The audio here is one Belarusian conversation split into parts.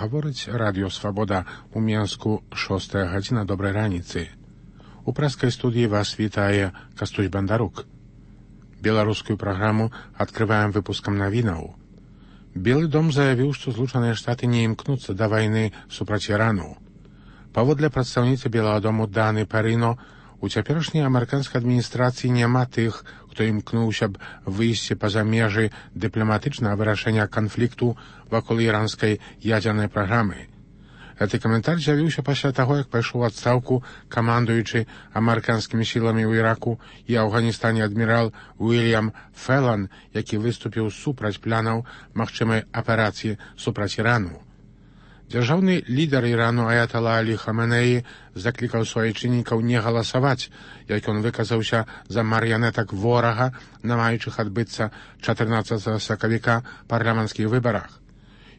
Гаворыць радыё «Свабода» у Менску 6 гадзіна добрай раніцы. У прэскай студыі вас вітае Кастусь Бандарук. Беларускую праграму адкрываем выпускам навінаў. Белы дом заявіў, што Злучаныя Штаты не імкнуцца да вайны супраць Ірану. Паводле прадстаўніцы Белага дому Даны Парино, у цяперашняй амерыканскай адміністрацыі няма тых, хто імкнуўся б выйсці па-за межы дыпламатычнага вырашэння канфлікту вакол іранскай ядзернай праграмы. Гэты каментар з'явіўся пасля таго, як пайшоў у адстаўку камандуючы амерыканскімі сіламі ў Іраку і Афганістане адмірал Уильям Фелан, які выступіў супраць планаў магчымай аперацыі супраць Ірану. Дзяржаўны лідар Ірану Аятала Алі Хаменеі заклікаў суайчыннікаў не галасаваць, як ён выказаўся за марыянетак ворага на маючых адбыцца 14 сакавіка парламенцкіх выбарах.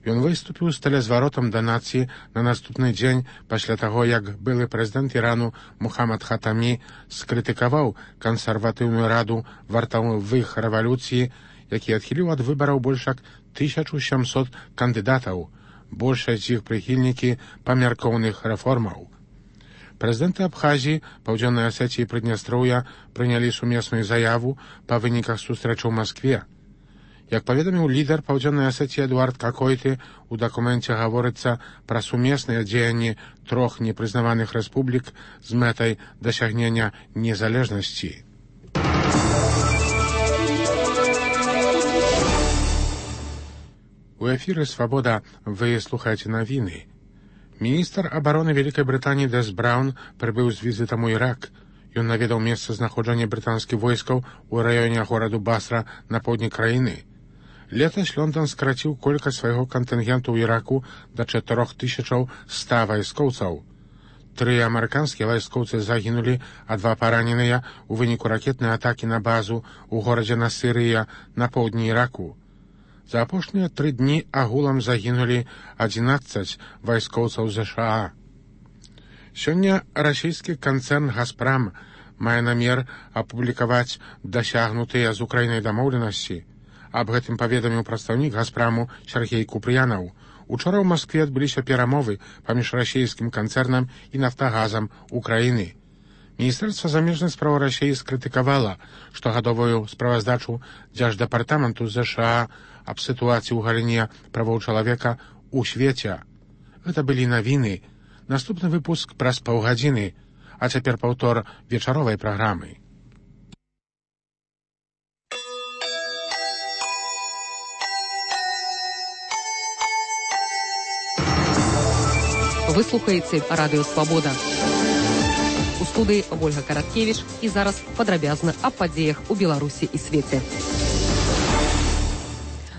Ён выступіў з тэлезваротам да нацыі на наступны дзень пасля таго, як былы прэзідэнт Ірану Мухаммад Хатамі скрытыкаваў кансерватыўную раду вартавых рэвалюцыі, які адхіліў ад выбараў больш як 1700 кандыдатаў, большасць з іх прыхільнікі памяркоўных рэформаў. Прэзідэнты Абхазіі, Паўдзённай Асетіі і Прыднястроўя прынялі сумесную заяву па выніках сустрэчы ў Маскве. Як паведаміў лідар Паўдзённай Асетіі Эдуард Какойты, у дакуменце гаворыцца пра сумесныя дзеянні трох непрызнаваных рэспублік з мэтай дасягнення незалежнасці. У эфіры «Свабода» вы слухаеце навіны. Міністр абароны Вялікай Брытаніі Дэс Браўн прыбыў з візітам у Ірак. Ён наведаў месца знаходжання брытанскіх войскаў у раёне гораду Басра на поўдні краіны. Летась Лондан скараціў колькасць свайго кантынгенту ў Іраку да 4100 вайскоўцаў. 3 амерыканскія вайскоўцы загінулі, а 2 параненыя ў выніку ракетнай атакі на базу ў горадзе Насырыя на поўдні Іраку. За апошнія 3 дні агулам загінулі 11 вайскоўцаў ЗША. Сёння расійскі канцэрн «Газпрам» мае намер апублікаваць дасягнутыя з Украінай дамоўленасці. Аб гэтым паведаміў прадстаўнік «Газпраму» Сергей Купрыянаў. Учора ў Маскве адбыліся перамовы паміж расійскім канцэрнам і «Нафтагазам» Украіны. Міністэрства замежных спраў Расіі скрытыкавала штогадовую справаздачу Дзярждэпартаменту ЗША аб сітуацыі ў галіне правоў чалавека ў свеце. Гэта былі навіны. Наступны выпуск праз паўгадзіны, а цяпер паўтор вечаровай праграмы. Вы слухаеце радыё «Свабода». У студыі Ольга Караткевіч і зараз падрабязна аб падзеях у Беларусі і свеце.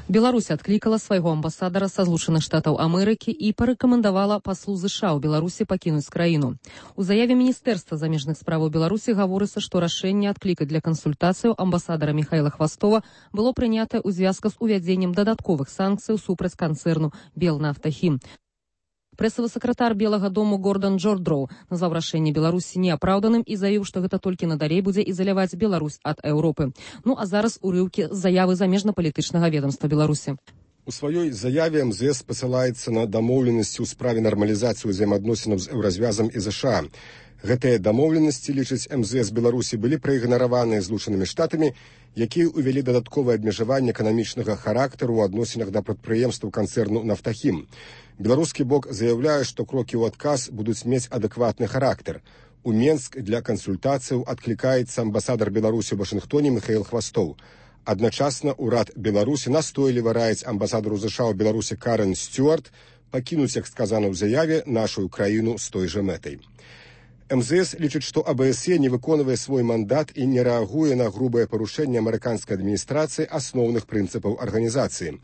Беларусь адклікала свайго амбасадара са Злучаных Штатаў Амерыкі і парэкамендавала паслу ЗША ў Беларусі пакінуць краіну. У заяве Міністэрства замежных справаў Беларусі гаворыцца, што рашэнне адклікаць для кансультацыяў амбасадара Михайла Хвастова было прынятае ў звязку з увядзеннем дадатковых санкцыяў супраць канцэрну «Белнафтахім». Прэсавы сакратар Белага дому Гордан Джордроу назваў рашэнне Беларусі неапраўданым і заявіў, што гэта толькі надалей будзе ізаляваць Беларусь ад Еўропы. Ну а зараз урыўкі з заявы замежна-палітычнага ведамства Беларусі. У сваёй заяве МЗС пасылаецца на дамоўленасці ў справе нармалізацыі ўзаемаадносінаў з Еўразвязам і ЗША. Гэтыя дамоўленасці, лічыць МЗС Беларусі, былі праігнараваныя Злучанымі Штатамі, якія ўвялі дадатковае абмежаванне эканамічнага характару ў адносінах да прадпрыемстваў канцэрну «Нафтахім». Беларускі бок заяўляе, што крокі ў адказ будуць мець адэкватны характар. У Менск для кансультацыяў адклікаецца амбасадар Беларусі ў Вашынгтоне Михаил Хвастов. Адначасна ўрад Беларусі настойліва раіць амбасадару ЗША ў Беларусі Карен Стюарт пакінуць, як сказана ў заяве, нашу краіну з той жа мэтай. МЗС лічыць, што АБСЕ не выконвае свой мандат і не рэагуе на грубае парушэнне амерыканскай адміністрацыі асноўных прынцыпаў арганізацыі.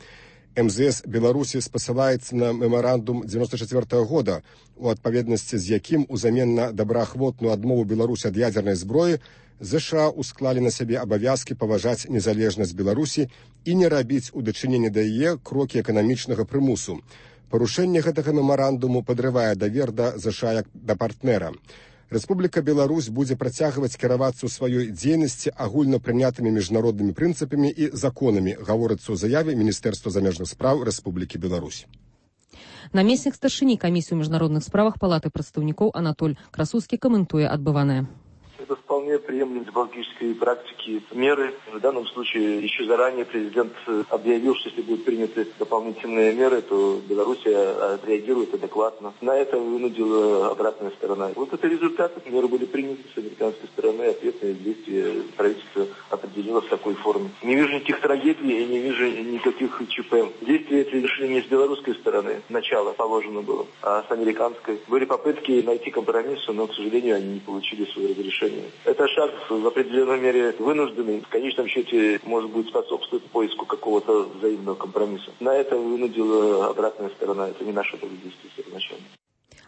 МЗС Беларусі спасылаецца на мемарандум 1994 года, у адпаведнасці з якім узамен на добраахвотную адмову Беларусі ад ядзернай зброі ЗША усклалі на сябе абавязкі паважаць незалежнасць Беларусі і не рабіць у дачыненні да яе крокі эканамічнага прымусу. Парушэнне гэтага мемарандуму падрывае давер да ЗША як да партнера. Рэспубліка Беларусь будзе працягваць кіравацца ў сваёй дзейнасці агульнапрынятымі міжнароднымі прынцыпамі і законамі, гаворыцца ў заяве Міністэрства замежных спраў Рэспублікі Беларусь. Намеснік старшыні камісіі ў міжнародных справах палаты прадстаўнікоў Анатоль Красуцкі каментуе адбыванае. Это вполне приемлемые дипломатические практики, меры. В данном случае еще заранее президент объявил, что если будут приняты дополнительные меры, то Беларусь отреагирует адекватно. На это вынудила обратная сторона. Вот это результат. Меры были приняты с американской стороны, ответные действия правительства определило в такой форме. Не вижу никаких трагедий и не вижу никаких ЧП. Действия эти решили не с белорусской стороны, начало положено было, а с американской. Были попытки найти компромисс, но, к сожалению, они не получили свое разрешение. Это шаг в определенной мере вынужденный. В конечном счете, может быть, способствует поиску какого-то взаимного компромисса. На это вынудила обратная сторона. Это не наше действие первоначально.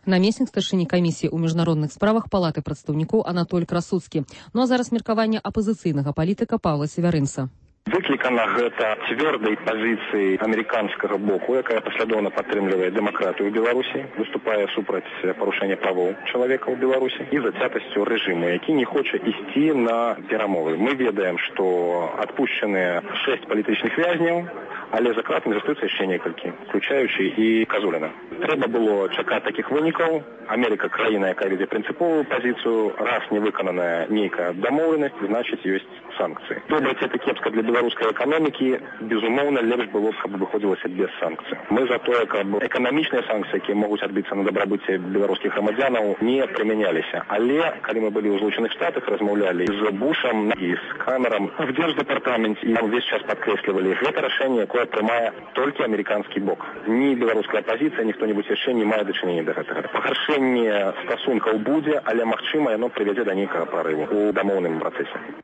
Намеснік старшыні камісіі ў міжнародных справах палаты прадстаўнікоў Анатоль Красуцкі. Ну а зараз меркаванне апазіцыйнага палітыка Паўла Севярынца. Выклікана гэта цвёрдай пазіцыі амерыканскага боку, якая паслядоўна падтрымлівае дэмакратыю ў Беларусі, выступае супраць парушэння правоў чалавека ў Беларусі і зацятасцю рэжыму, які не хоча ісці на перамовы. Мы ведаем, што адпушчаныя 6 палітычных вязняў, але за кратамі застаюцца яшчэ некалькі, включаючы і Казуліна. Трэба было чакаць такіх вынікаў. Америка краіна, якая вядзе прынцыповую пазіцыю, раз не выкананая нейкая дамоўленасць, значыць ёсць санкцыі. Добра ці кепска для беларускай эканомікі, безумоўна, лепш было б, каб выходзілася без санкцый. Мы за тое, каб эканамічныя санкцыі, якія могуць адбыцца на дабрабыце беларускіх грамадзянаў, не прымяняліся. Але калі мы былі ў Злучаных Штатах, размаўлялі з Бушам і з Камерам в Дзярждэпартаменце, і увесь час падкрэслівалі, гэта рашэнне, якое прымае толькі амерыканскі бок. Ні беларуская апазіцыя, ні хто-небудзь яшчэ не мае дачынення да гэтага. Пагаршэнне стасункаў будзе, але магчыма, яно прывядзе да нейкага прарыву ў дамоўным працэсе.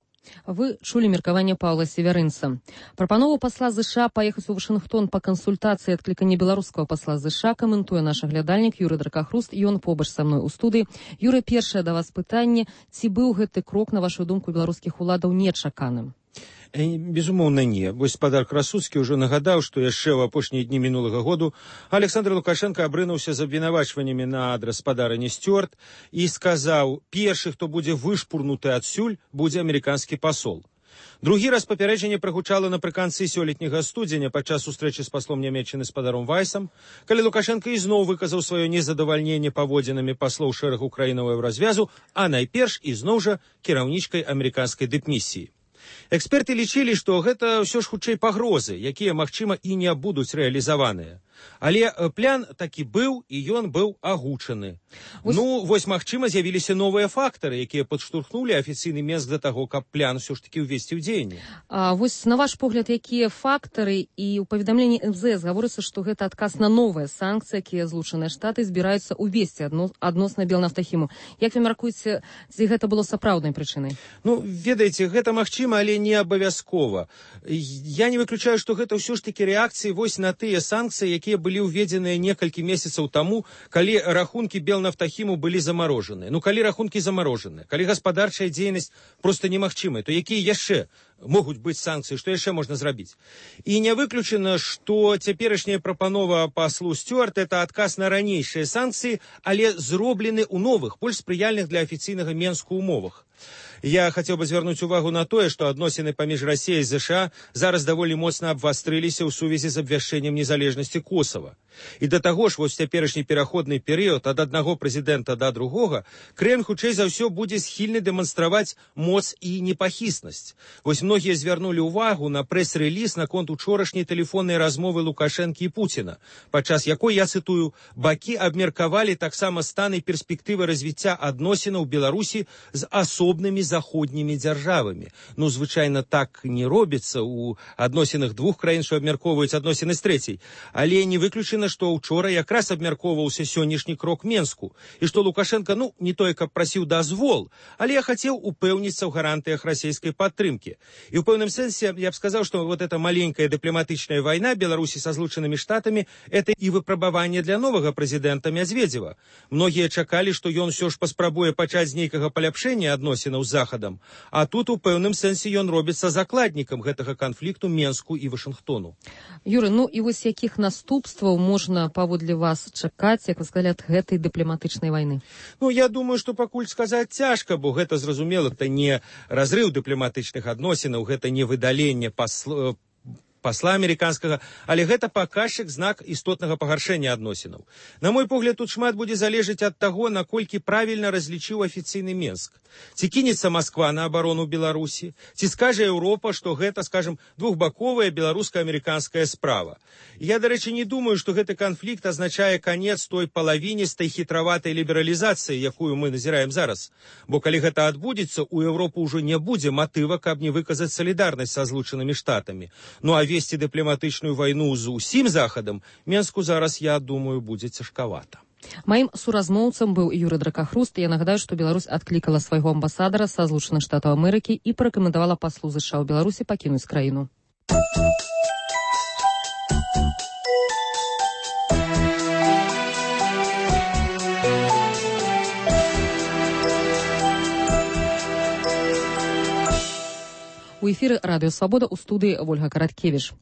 Вы чулі меркаванне Паўла Севярынца. Прапанову пасла ЗША паехаць у Вашынгтон па кансультацыі адклікання беларускага пасла ЗША каментуе наш аглядальнік Юрый Дракахруст, ён побач са мной у студыі. Юрый, першае да вас пытанне, ці быў гэты крок, на вашу думку, беларускіх уладаў нечаканым? Безумоўна, не. Вось спадар Красуцкі ўжо нагадаў, што яшчэ ў апошнія дні мінулага году Александр Лукашенко абрынуўся з абвінавачваннямі на адрас спадарыні Стюарт і сказаў, першы, хто будзе вышпурнуты адсюль, будзе амерыканскі пасол. Другі раз папярэджанне прагучала напрыканцы сёлетняга студзеня падчас сустрэчы з паслом Нямецчыны спадаром Вайсам, калі Лукашенко ізноў выказаў сваё незадавальненне паводзінамі паслоў шэрагу краінаў еўразвязу, а найперш ізноў жа кіраўнічкай амерыканскай дыпмісіі. Эксперты лічылі, што гэта ўсё ж хутчэй пагрозы, якія, магчыма, і не будуць рэалізаваныя. Але план такі быў, і ён быў агучаны. Вось, магчыма, з'явіліся новыя фактары, якія падштурхнулі афіцыйны Мінск да таго, каб план усё ж такі ўвесці ў дзеянне. Вось, на ваш погляд, якія фактары, і ў паведамленні МЗС гаворыцца, што гэта адказ на новыя санкцыі, якія Злучаныя Штаты збіраюцца ўвесці адносна Белнафтахіму. Як вы мяркуеце, ці гэта было сапраўднай прычынай? Ведаеце, гэта магчыма, але не абавязкова. Я не выключаю, што гэта ўсё ж такі рэакцыі вось на тыя санкцыі, якія былі ўведзеныя некалькі месяцаў таму, калі рахункі Белнафтахіму былі замарожаныя. Калі рахункі замарожаныя, калі гаспадарчая дзейнасць проста немагчымая, то якія яшчэ могуць быць санкцыі, што яшчэ можна зрабіць? І не выключана, што цяперашняя прапанова паслу Стюарт – это адказ на ранейшыя санкцыі, але зроблены ў новых, больш спрыяльных для афіцыйнага Мінску умовах. Я хацеў бы звярнуць увагу на тое, што адносіны паміж Расіяй і ЗША зараз даволі моцна абвастрыліся ў сувязі з абвяшчэннем незалежнасці Косава. І да таго ж, вось цяперашні пераходны перыяд ад аднаго прэзідэнта да другога, Крэмль хутчэй за ўсё будзе схільны дэманстраваць моц і непахіснасць. Вось многія звярнулі ўвагу на прэс-рэліз наконт учорашняй тэлефоннай размовы Лукашэнкі і Пуціна, падчас якой, я цытую, бакі абмеркавалі таксама стан і перспектывы развіцця адносінаў Беларусі з асобнымі заходнімі дзяржавамі. Звычайна так не робіцца ў адносінах двух краін, што абмяркоўваюць адносіны з трэцяй. Але не выключана, што ўчора якраз абмяркоўваўся сённяшні крок Мінску. І што Лукашенко, не тое, каб прасіў дазвол, але я хацеў упэўніцца ў гарантыях расійскай падтрымкі. І ў пэўным сэнсе я б сказаў, што вот эта маленькая дыпламатычная вайна Беларусі са Злучанымі Штатамі – это і выпрабаванне для новага прэзідэнта Мядзведзева. Многія чакалі, што ён усё ж паспрабуе пачаць з нейкага паляпшэння адносінаў з Захадам, а тут у пэўным сэнсе ён робіцца закладнікам гэтага канфлікту Мінску і Вашынгтону. Юрый, і вось якіх наступстваў можна, паводле вас, чакаць, як вы сказалі, ад гэтай дыпламатычнай вайны? Я думаю, што пакуль сказаць цяжка, бо гэта, зразумела, это не разрыў дыпламатычных адносінаў, гэта не выдаленне пасла амерыканскага, але гэта паказчык, знак істотнага пагаршэння адносінаў. На мой погляд, тут шмат будзе залежаць ад таго, наколькі правільна разлічыў афіцыйны Менск. Ці кінецца Масква на абарону Беларусі, ці скажа Еўропа, што гэта, скажем, двухбаковая беларуска-амерыканская справа. Я, дарэчы, не думаю, што гэты канфлікт азначае канец той палавіністай хітраватай лібералізацыі, якую мы назіраем зараз. Бо калі гэта адбудзецца, у Еўропы ўжо не будзе матыва, каб не выказаць салідарнасць са Злучанымі Штатамі. Ну а весці дыпламатычную вайну з усім Захадам Менску зараз, я думаю, будзе цяжкавата. Маім суразмоўцам быў Юрый Дракахруст. Я нагадаю, што Беларусь адклікала свайго амбасадара са Злучаных Штатаў Амерыкі і парэкамендавала паслу ЗША ў Беларусі пакінуць краіну. У эфіры Радыё Свабода, у студыі Вольга Караткевіч.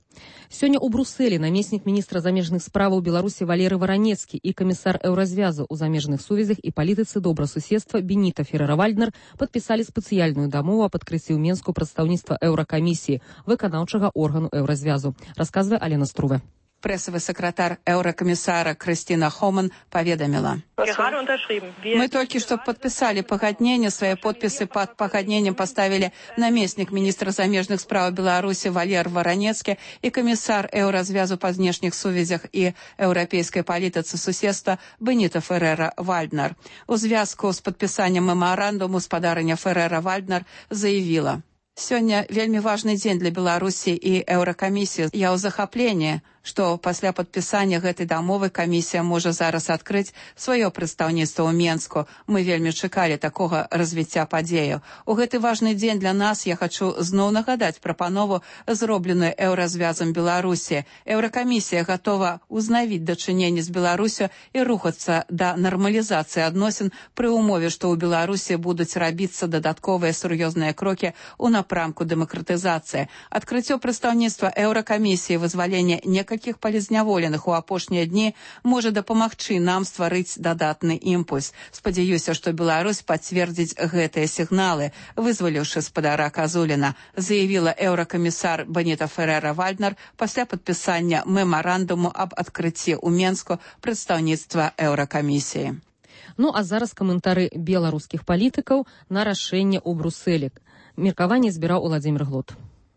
Сёння ў Брусэлі намеснік міністра замежных справаў Беларусі Валерый Варанецкі і камісар Еўразвязу ў замежных сувязях і палітыцы добрасуседства Беніта Феррера-Вальднер падпісалі спецыяльную дамову аб адкрыцці ў Менску прадстаўніцтва Еўракамісіі, выканаўчага органу Еўразвязу, расказвае Алена Струве. Прессовый секретарь Еврокомиссара Кристина Хоман поведомила. Мы только что подписали погоднение, свои подписи под погоднением поставили наместник министра замежных справ Беларуси Валерий Варанецкий и комиссар Еўразвязу по внешних сувязях и европейской политицы суседства Беніта Феррера-Вальднер. У звязку с подписанием меморандуму спадарыня Феррера-Вальднер заявила: «Сегодня вельмі важный день для Беларуси и Еўракамісіі. Я ў захапленні, што пасля падпісання гэтай дамовы камісія можа зараз адкрыць сваё прадстаўніцтва ў Менску. Мы вельмі чакалі такога развіцця падзеяў. У гэты важны дзень для нас я хачу зноў нагадаць прапанову, зробленую Еўразвязам Беларусі. Еўракамісія гатова ўзнавіць дачыненні з Беларусю і рухацца да нармалізацыі адносін пры ўмове, што ў Беларусі будуць рабіцца дадатковыя сур'ёзныя крокі ў напрамку дэмакратызацыі. Адкрыццё прадстаўніцтва Еўракамісіі, вызвалення некалькіх палізняволеных у апошнія дні можа дапамагчы нам стварыць дадатны імпульс. Спадзяюся, што Беларусь пацвердзіць гэтыя сігналы, вызваліўшы спадара Казуліна, заявіла еўракамісар Беніта Феррера-Вальднер пасля падпісання мемарандуму аб адкрыцці ў Менску прадстаўніцтва Еўракамісіі. Ну а зараз каментары беларускіх палітыкаў на рашэнне ў Брусэлі. Меркаванне збіраў Уладзімір Глот.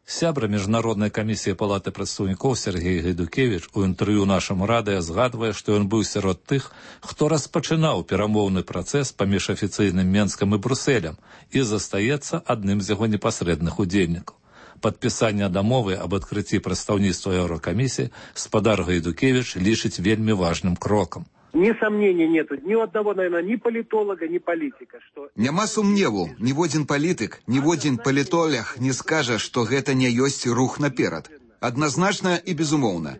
Сябра Міжнароднай камісіі палаты прадстаўнікоў Сергей Гайдукевіч у інтэрв'ю нашаму радыё згадвае, што ён быў сярод тых, хто распачынаў перамоўны працэс паміж афіцыйным Менскам і Брусэлем і застаецца адным з яго непасрэдных удзельнікаў. Падпісанне дамовы аб адкрыцці прадстаўніцтва Еўракамісіі спадар Гайдукевіч лічыць вельмі важным крокам. Ни сомнений нету, ни у одного, наверное, ни политолога, ни политика. Что... Няма сумневу, ні один політик, ні один палітолог не скажа, што гэта не ёсць рух наперад. Адназначна і безумоўна.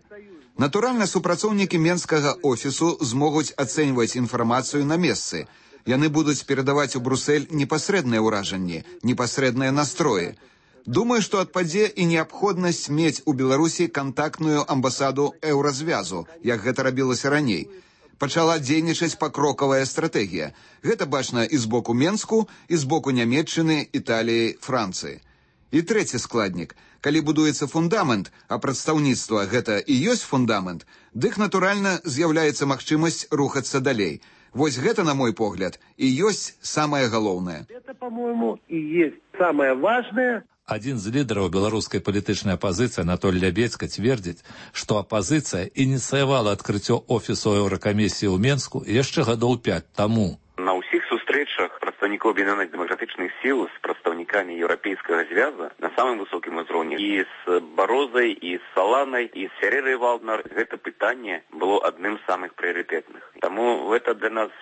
Натуральна, супрацоўнікі Менскага офісу змогуць ацэньваць інфармацыю на месцы. Яны будуць перадаваць у Брусэль непасрэдныя ўражанні, непасрэдныя настроі. Думаю, што адпадзе і неабходнасць мець у Беларусі кантактную амбасаду Еўразвязу, як гэта рабілася раней. Пачала дзейнічаць пакрокавая стратэгія. Гэта бачна і з боку Менску, і з боку Нямецчыны, Італіі, Францыі. І трэці складнік. Калі будуецца фундамент, а прадстаўніцтва гэта і ёсць фундамент, дык, натуральна, з'яўляецца магчымасць рухацца далей. Вось гэта, на мой погляд, і ёсць самае галоўнае. Это, по-моему, и есть самое важное. Адзін з лідараў беларускай палітычнай апазіцыі Анатоль Лябедзька цвердзіць, што апазіцыя ініцыявала адкрыццё офісу Еўракамісіі ў Менску яшчэ гадоў 5 таму. На ўсіх сустрэчах прадстаўнікоў аб'яднаных дэмакратычных сіл з прадстаўнікамі еўрапейскага звяза на самым высокім узроўні і з Барозай, і з Саланай, і з Феррерай-Вальднер гэта пытанне было адным з самых прыярытэтных. Таму гэта для нас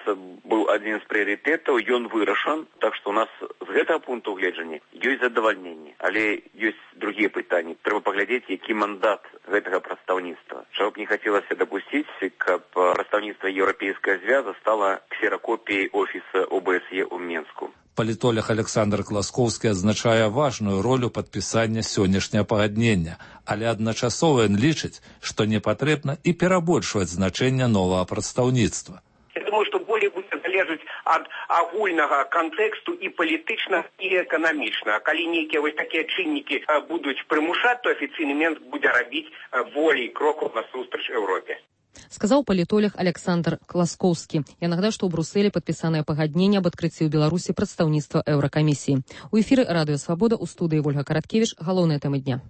быў адзін з прыярытэтаў, ён вырашан, так што у нас з гэтага пункту гледжання ёсць задавальненне. Але ёсць другія пытанні. Трэба паглядзець, які мандат гэтага прадстаўніцтва. Чаго б не хацелася дапусціць, каб прадстаўніцтва еўрапейскага звяза стала ксеракопіяй офіса ОБСЕ ў Менску. Палітолог Александр Класкоўскі адзначае важную ролю падпісання сённяшняга пагаднення, але адначасова ён лічыць, што не патрэбна і перабольшваць значэнне новага прадстаўніцтва. Я думаю, что более будет залежать ад агульнага кантэксту і палітычна, і эканамічна. Калі нейкія вось такія чыннікі будуць прымушаць, то афіцыйны Менск будзе рабіць болей крокаў насустрач Еўропе. Сказаў палітолог Александр Класкоўскі. Я нагадаю, што ў Брусэлі падпісанае пагадненне аб адкрыцці ў Беларусі прадстаўніцтва Еўракамісіі. У эфіры Радыё Свабода, у студыі Вольга Караткевіч. Галоўныя тэмы дня.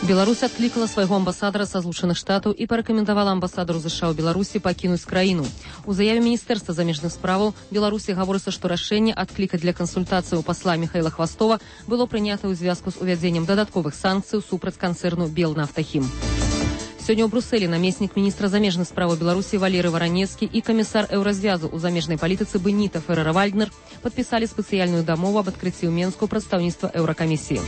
Беларусь адклікала свайго амбасадара са Злучаных Штатаў і парэкамендавала амбасадару США ў Беларусі пакінуць краіну. У заяве міністэрства замежных справаў Беларусі гаворыцца, што рашэнне адклікаць для кансультацыі у пасла Михаила Хвастова было прынята ў звязку з увядзеннем дадатковых санкцый супраць канцэрну «Белнафтахім». Сёння ў Брусэлі намеснік міністра замежных справаў Беларусі Валерый Варанецкі і камісар Еўразвязу ў замежнай палітыцы Беніта Феррера-Вальднер падпісалі спецыяльную дамову аб адкрыцці ў Менску прадстаўніцтва Еўракамісіі.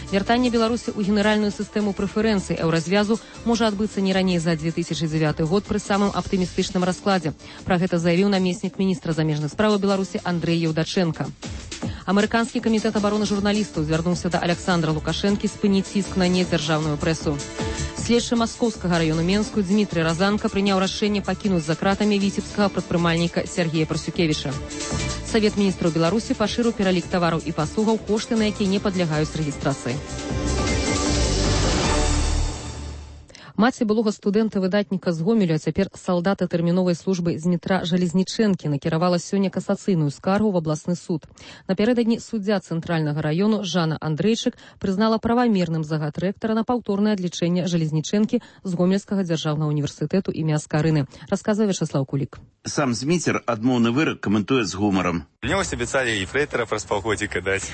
Вяртанне Беларусі ў генеральную сістэму прэферэнцый Еўразвязу можа адбыцца не раней за 2009 год пры самым аптымістычным раскладзе. Пра гэта заявіў намеснік міністра замежных справаў Беларусі Андрэй Еўдачэнка. Амерыканскі камітэт абароны журналістаў звярнуўся да Александра Лукашэнкі спыніць ціск на недзяржаўную прэсу. Следчы маскоўскага раёну Менску Дмітрый Разанка прыняў рашэнне пакінуць за кратамі віцебскага прадпрымальніка Сергея Парсюкевіча. Савет міністраў Беларусі пашырыў пералік тавараў і паслугаў, кошты на якія не падлягаюць рэгістрацыі. Маці былога студэнта-выдатніка з Гомелю, а цяпер салдата тэрміновай службы Змітра Жалезнічэнкі накіравала сёння касацыйную скаргу в абласны суд. Напярэдадні суддзя цэнтральнага раёну Жанна Андрэйчык прызнала правамерным загад рэктара на паўторнае адлічэнне Жалезнічэнкі з Гомельскага дзяржаўнага універсітэту імя Аскарыны, расказвае Вячеслав Кулік. Сам Зміцер адмоўны вырак каментуе з гумарам. Мне вось абяцалі і фрэйтара праз паўгодзіка даць.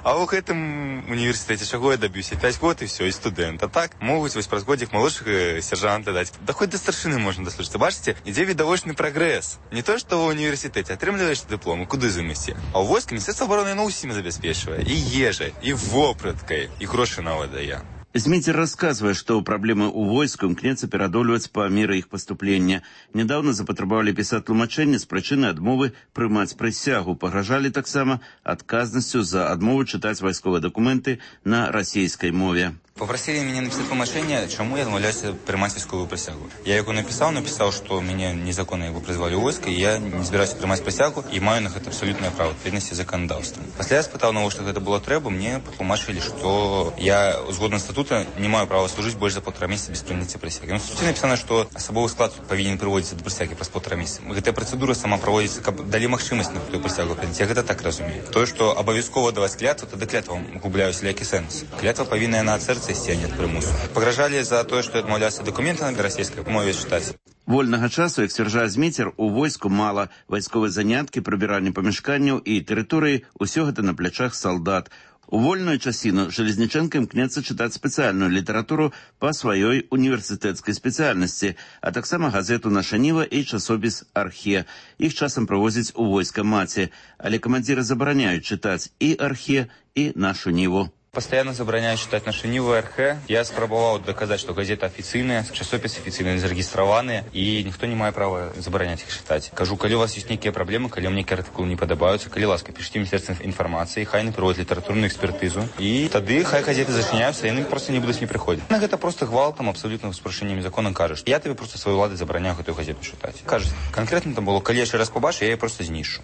А ў гэтым універсітэце чаго я даб'юся? 5 год і все, і студэнт. А так могуць вось праз годзік малодшага сержанта даць. Да хоць да старшыны можна даслужыцца. Бачыце, ідзе відавочны прагрэс. Не то, што ў універсітэце атрымліваеш дыплом, куды замесці. А ў войску Міністэрства абароны ўсім забяспечвае. І ежай, і вопраткай, і грошы нават дае. Зміцер рассказывае, што праблемы ў войску імкнецца перадолеваць па меры іх паступлення. Недавно запатрабавалі пісаць тлумачэнне з прычыны адмовы прымаць прысягу. Пагражалі таксама адказнасцю за адмову чытаць вайсковыя дакументы на расійскай мове. Попросили меня написать тлумачение, чему я отмовляюсь принимать войсковую присягу. Я его написал, что меня незаконно его призвали в войско, и я не собираюсь принимать присягу, и маю на это абсолютное право, відповідності законодавством. Після я спитав, на що це було треба, мені потлумачили, що я, згодно статуту, не маю права служити більше за 1,5 місяця без прийняття присяги. В статуті написано, що особовий склад повинен приводитися до присяги праз 1,5 місяця. Ця процедура сама проводиться, каб дали можливість на ту присягу прийняти. Я це так розумію. То, що обов'язково давати клятву, тоді клятва губляє всілякий сенс. Клятва повинна на серце йти, а не від примусу. Погрожали за то, что отмовлялся документы на российской мове читать. Вольнага часу, як сцвярджае Зміцер, у войску мала. Вайсковыя заняткі, прыбіранне памяшканняў і тэрыторыі – усё гэта на плячах салдат. У вольную часіну Жалезнічэнка імкнецца чытаць спецыяльную літаратуру па сваёй універсітэцкай спецыяльнасці, а таксама газету «Наша Ніва» і часопіс «Архе». Іх часам правозяць у войска маці, але камандзіры забараняюць чытаць і «Архе», і «Нашу Ніву». Постоянно забороняют читать «Нашу Ниву» и РХ. Я спробовал доказать, что газеты официальные, часописы официальные, зарегистрованные, и никто не мает права заборонять их читать. Кажу, коли у вас есть некие проблемы, коли вам некие артикулы не подобаются, коли ласка, пишите Министерство информации, хай не проводят литературную экспертизу, и тогда хай газеты зачиняются, и они просто не будут не приходить. Это просто гвалтом, абсолютно с порушением закона кажешь. Я тебе просто своей владой забороняю эту газету читать. Кажется, конкретно там было, коли я еще раз побачу, я ее просто знішу.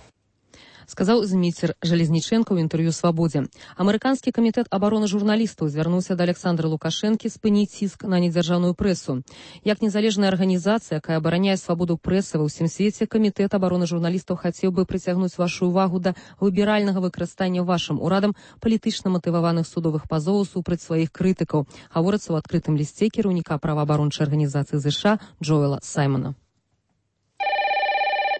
Сказаў Зміцер Жалезнічэнка ў інтэрв'ю «Свабодзе». Амерыканскі камітэт абароны журналістаў звярнуўся да Александра Лукашэнкі спыніць ціск на недзяржаўную прэсу. Як незалежная арганізацыя, якая абараняе свабоду прэсы ва ўсім свеце, камітэт абароны журналістаў хацеў бы прыцягнуць вашу ўвагу да выбіральнага выкарыстання вашым урадам палітычна матываваных судовых пазоваў супраць сваіх крытыкаў, гаворыцца ў адкрытым лісце кіраўніка праваабарончай арганізацыі США Джоэла Саймона.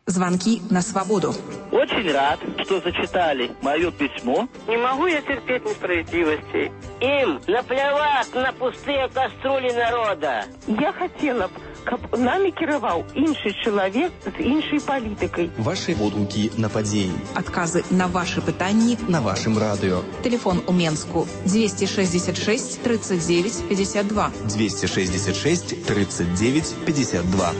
Звонки на свободу. Очень рад, что зачитали мое письмо. Не могу я терпеть несправедливости. Им наплевать на пустые кастрюли народа. Я хотела б, каб нами кіраваў іншы чалавек з іншай палітыкай. Ваши водгукі на падзеі. Адказы на ваши пытанні на вашым радыё. Телефон у Менску 266 39 52. 266 39 52.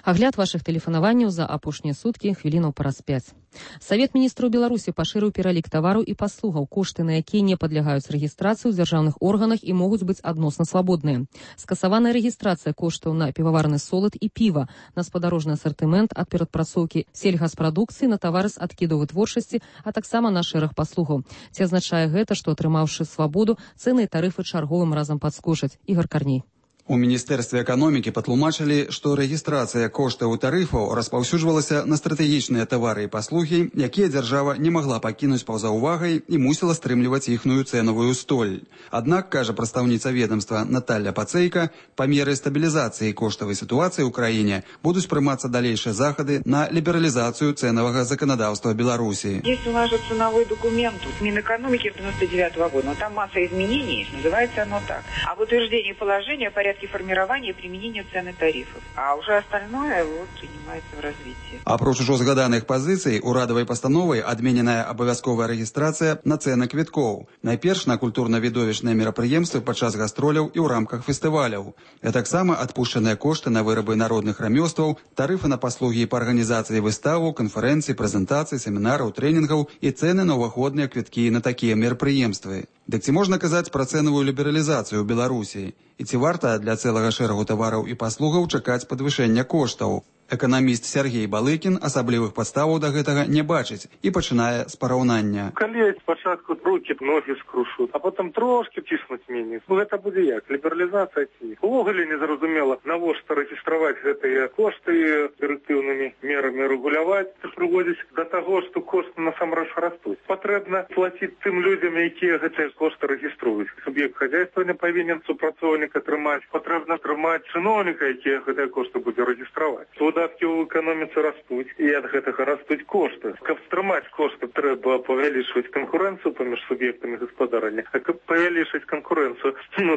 Агляд вашых тэлефанаванняў за апошнія суткі хвілінаў праз 5. Савет міністраў Беларусі пашырыў пералік тавараў і паслугаў, кошты на якія не падлягаюць рэгістрацыі ў дзяржаўных органах і могуць быць адносна свабодныя. Скасаваная рэгістрацыя коштаў на піваварны солад і піва, на спадарожны асартымент ад перадпрацоўкі сельгаспрадукцыі на тавары з адкідаў вытворчасці, а таксама на шэраг паслугаў. Ці азначае гэта, што атрымаўшы свабоду, цэны і тарыфы чарговым разам падскочаць? Ігор Карней. У Міністэрстве эканомікі патлумачылі, што рэгістрацыя коштаў і тарыфаў распаўсюджвалася на стратэгічныя тавары і паслугі, якія дзяржава не магла пакінуць па-за ўвагай і мусіла стрымліваць іхную цэнавую столь. Аднак, кажа прадстаўніца ведомства Наталья Пацейка, па меры стабілізацыі коштавай сітуацыі ў краіне будуць прымацца далейшыя захады на лібералізацыю цэнавага заканадаўства Беларусі. Есть у нас же ценовой документ Минэкономики 99-го года, но там масса изменений, называется оно так. Об утверждении положения о порядке формирования и применения цен и тарифов. А уже остальное принимается в развитии. Апроч ужо згаданых пазіцый, урадавай пастановай адмененая абавязковая рэгістрацыя на цэны квіткоў. Найперш на культурна-відовішчныя мерапрыемствы падчас гастроляў і ў рамках фестываляў. А таксама адпушчаныя кошты на вырабы народных рамёстваў, тарыфы на паслугі па арганізацыі выставаў, канферэнцый, прэзентацый, семінараў, трэнінгаў і цэны на ўваходныя квіткі на такія мерапрыемствы. Дык ці можна казаць пра цэнавую лібералізацыю ў Беларусі? І ці варта для цэлага шэрагу тавараў і паслугаў чакаць падвышэння коштаў? Эканаміст Сергей Балыкін асаблівых падставаў да гэтага не бачыць і пачынае з параўнання. Калі спачатку рукі, ногі скрушуць, а потым трошки ціснуць меней. Гэта будзе як? Лібералізацыя ці не? Увогуле незразумела, навошта рэгістраваць гэтыя кошты дырэктыўнымі мерамі рэгуляваць, прыводзіць да таго, што кошты насамрэч растуць. Патрэбна плаціць тым людзям, якія гэтыя кошты рэгіструюць. Суб'ект хазяйствавання павінен супрацоўніка трымаць. Патрэбна трымаць чыноўніка, які гэтыя кошты будзе рэгістраваць. Выдаткі ў эканоміцы растуць, і ад гэтага растуць кошты. Каб стрымаць кошты, трэба павялічваць канкурэнцыю паміж суб'ектамі гаспадарання. А каб павялічыць канкурэнцыю,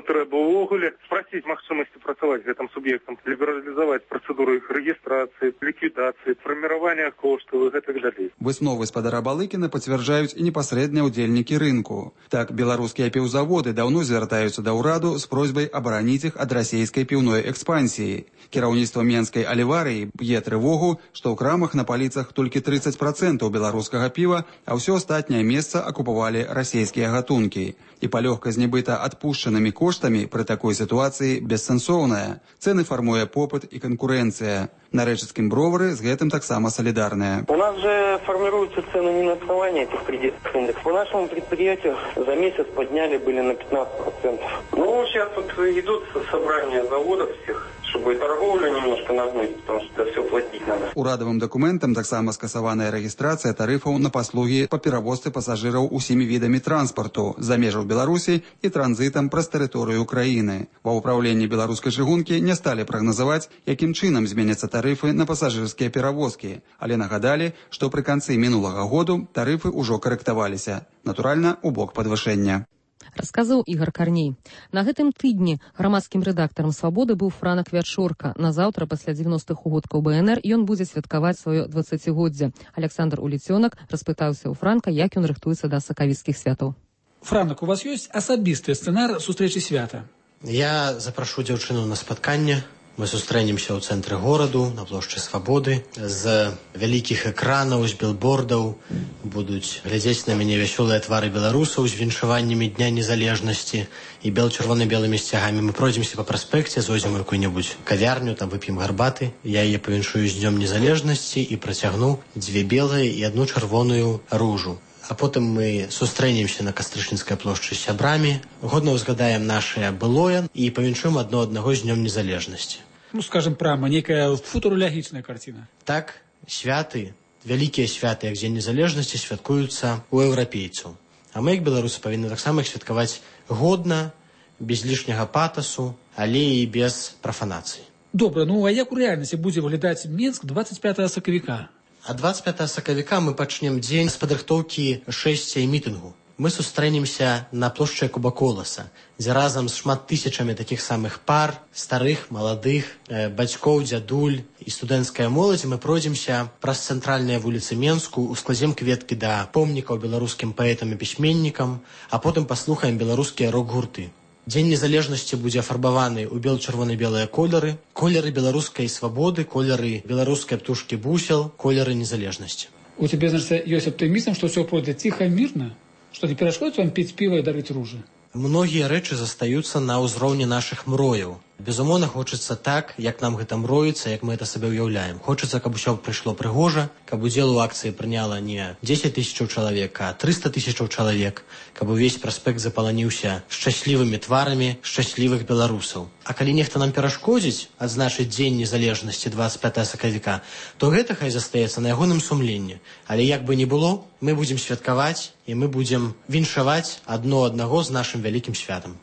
трэба ўвогуле спраціць магчымасці працаваць гэтым суб'ектам, лібералізаваць працэдуру іх рэгістрацыі, ліквідацыі, фарміравання коштаў і гэтак далей. Высновы спадара Балыкіна пацвярджаюць і непасрэдныя ўдзельнікі рынку. Так, беларускія піўзаводы даўно звяртаюцца да ўраду з просьбай абараніць іх ад расійскай піўной экспансіі. Кіраўніцтва Менскай аліварыі б'е трывогу, што ў крамах на паліцах толькі 30% беларускага піва, а ўсё астатняе месца акупавалі расійскія гатункі. І палёгка з нібыта адпушчанымі коштамі пры такой сітуацыі бессэнсоўная. Цэны фармуе попыт і канкурэнцыя. На рэчыцкім бровары з гэтым таксама салідарныя. У нас же формируются цены не на основании этих кредитных индексов. По нашему предприятию за месяц подняли были на 15%. Ну, сейчас тут идут собрания заводов всех, чтобы торговлю немножко нагнуть, потому что это все платить надо. Урадавым дакументам таксама скасаваная рэгістрацыя тарыфаў на паслугі па перавозцы пасажыраў усімі відамі транспарту за межаў Беларусі і транзітам праз тэрыторыю краіны. Ва ўпраўленні беларускай чыгункі не сталі прагназаваць, якім чынам зменяцца тарыфы на пасажырскія перавозкі, але нагадалі, што пры канцы мінулага году тарыфы ўжо карэктаваліся. Натуральна, у бок падвышэння. Расказаў Ігор Карней. На гэтым тыдні грамадскім рэдактарам «Свабоды» быў Франак Вячорка. Назаўтра, пасля 90-х угодкаў БНР, ён будзе святкаваць сваё 20-годдзе. Александр Уліцёнак распытаўся ў Франка, як ён рыхтуецца да сакавіцкіх святаў. Франак, у вас ёсць асабісты сцэнар сустрэчы свята? Я запрашу дзяўчыну на спатканне. Мы сустрэнемся ў цэнтры гораду, на плошчы Свабоды. З вялікіх экранаў, з билбордаў будуць глядзець на мяне вясёлыя твары беларусаў з віншаваннямі Дня незалежнасці і чырвона-белымі сцягамі. Мы пройдземся па праспекце, зойдзем у якую-небудзь кавярню, там вып'ем гарбаты. Я яе павіншую з Днём незалежнасці і працягну 2 белыя і 1 чырвоную ружу. А потым мы сустрэнемся на Кастрычніцкай плошчы з сябрамі, годна ўзгадаем нашае былое і павіншуем адно аднаго з Днём незалежнасці. Ну, скажем прямо, некая футурологічная карціна. Так, святы, вялікія святы, як Дзень незалежнасці, святкуюцца у еўрапейцаў. А мы, як беларусы, павінны таксама іх святкаваць годна, без лішняга патасу, але і без прафанацыі. Добра, ну а як у рэальнасці будзе выглядаць Менск 25 сакавіка? А 25 сакавіка мы пачнем дзень з падрыхтоўкі шэсця і мітынгу. Мы сустрэнемся на плошчы Куба-Коласа, дзе разам з шмат тысячамі такіх самых пар, старых, маладых, бацькоў, дзядуль і студэнцкая моладзь, мы пройдземся праз цэнтральныя вуліцы Менску, ускладзем кветкі да помнікаў беларускім паэтам і пісьменнікам, а потым паслухаем беларускія рок-гурты. Дзень незалежнасці будзе афарбаваны ў бел-чырвона-белыя колеры беларускай свабоды, колеры беларускай птушкі бусел, колеры незалежнасці. У тебя, значит, есть оптимизм, что все пройдет тихо, мирно? Что не перешкодит вам пить пиво и дарить ружи? Многія рэчы застаюцца на ўзроўні нашых мрояў. Безумоўна, хочацца так, як нам гэта мроіцца, як мы это сабе ўяўляем. Хочацца, каб усё прыйшло прыгожа, каб удзел у акцыі прыняла не 10 000 чалавек, а 300 000 чалавек, каб увесь праспект запаланіўся шчаслівымі тварамі шчаслівых беларусаў. А калі нехта нам перашкодзіць адзначыць дзень незалежнасці 25 сакавіка, то гэта хай застаецца на ягоным сумленні. Але як бы ні было, мы будзем святкаваць і мы будзем віншаваць адно аднаго з нашым вялікім святам.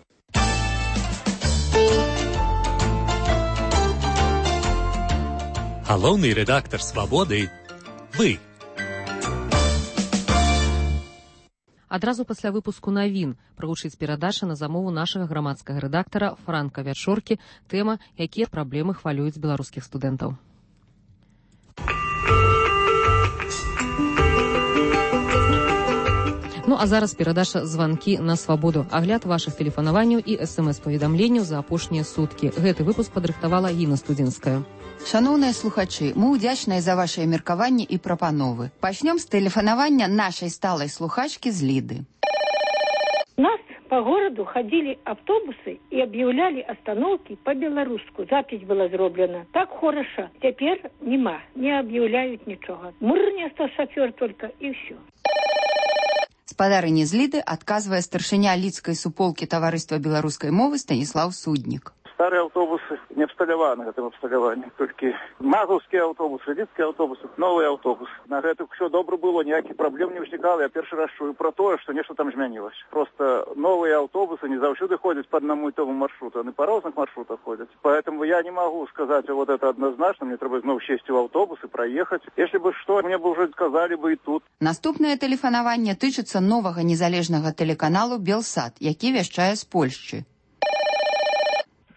Галоўны рэдактар «Свабоды» – вы. Адразу пасля выпуску навін прагучыць перадача на замову нашага грамадскага рэдактара Франка Вячоркі, тэма «Якія праблемы хвалююць беларускіх студэнтаў». Ну а зараз перадача «Званкі на свабоду». Агляд вашых тэлефанаванняў і смс-паведамленняў за апошнія суткі. Гэты выпуск падрыхтавала Інна Студзінская. Шановныя слухачы, мы ўдзячныя за вашыя меркаванні і прапановы. Пачнём з тэлефанавання нашай сталай слухачкі з Ліды. У нас по городу ходили автобусы и объявляли остановки по-белорусски. Запись была зроблена. Так хорошо. Теперь нема. Не объявляют ничего. Мурня шофер только и все. Спадарыні з Ліды адказвае старшыня Лідскай суполкі таварыства беларускай мовы Станіслаў Суднік. Старые автобусы не абсталяваны гэтым абсталяваннем. Толькі мазаўскія аўтобусы, лідскія аўтобусы, новыя аўтобусы. На гэта ўсё добра было, ніякіх праблем не ўзнікала. Я першы раз чую про тое, што нешта там змянілася. Просто новыя аўтобусы не заўсёды ходзяць по одному і тому маршруту, они по разных маршрутах ходят. Поэтому я не могу сказать вот это однозначно. Мне треба зноў сесть в автобус и проехать. Если бы что, мне бы уже сказали бы и тут. Наступнае тэлефанаванне тычыцца новага незалежнага тэлеканалу «Белсат», які вяшчае з Польшчы.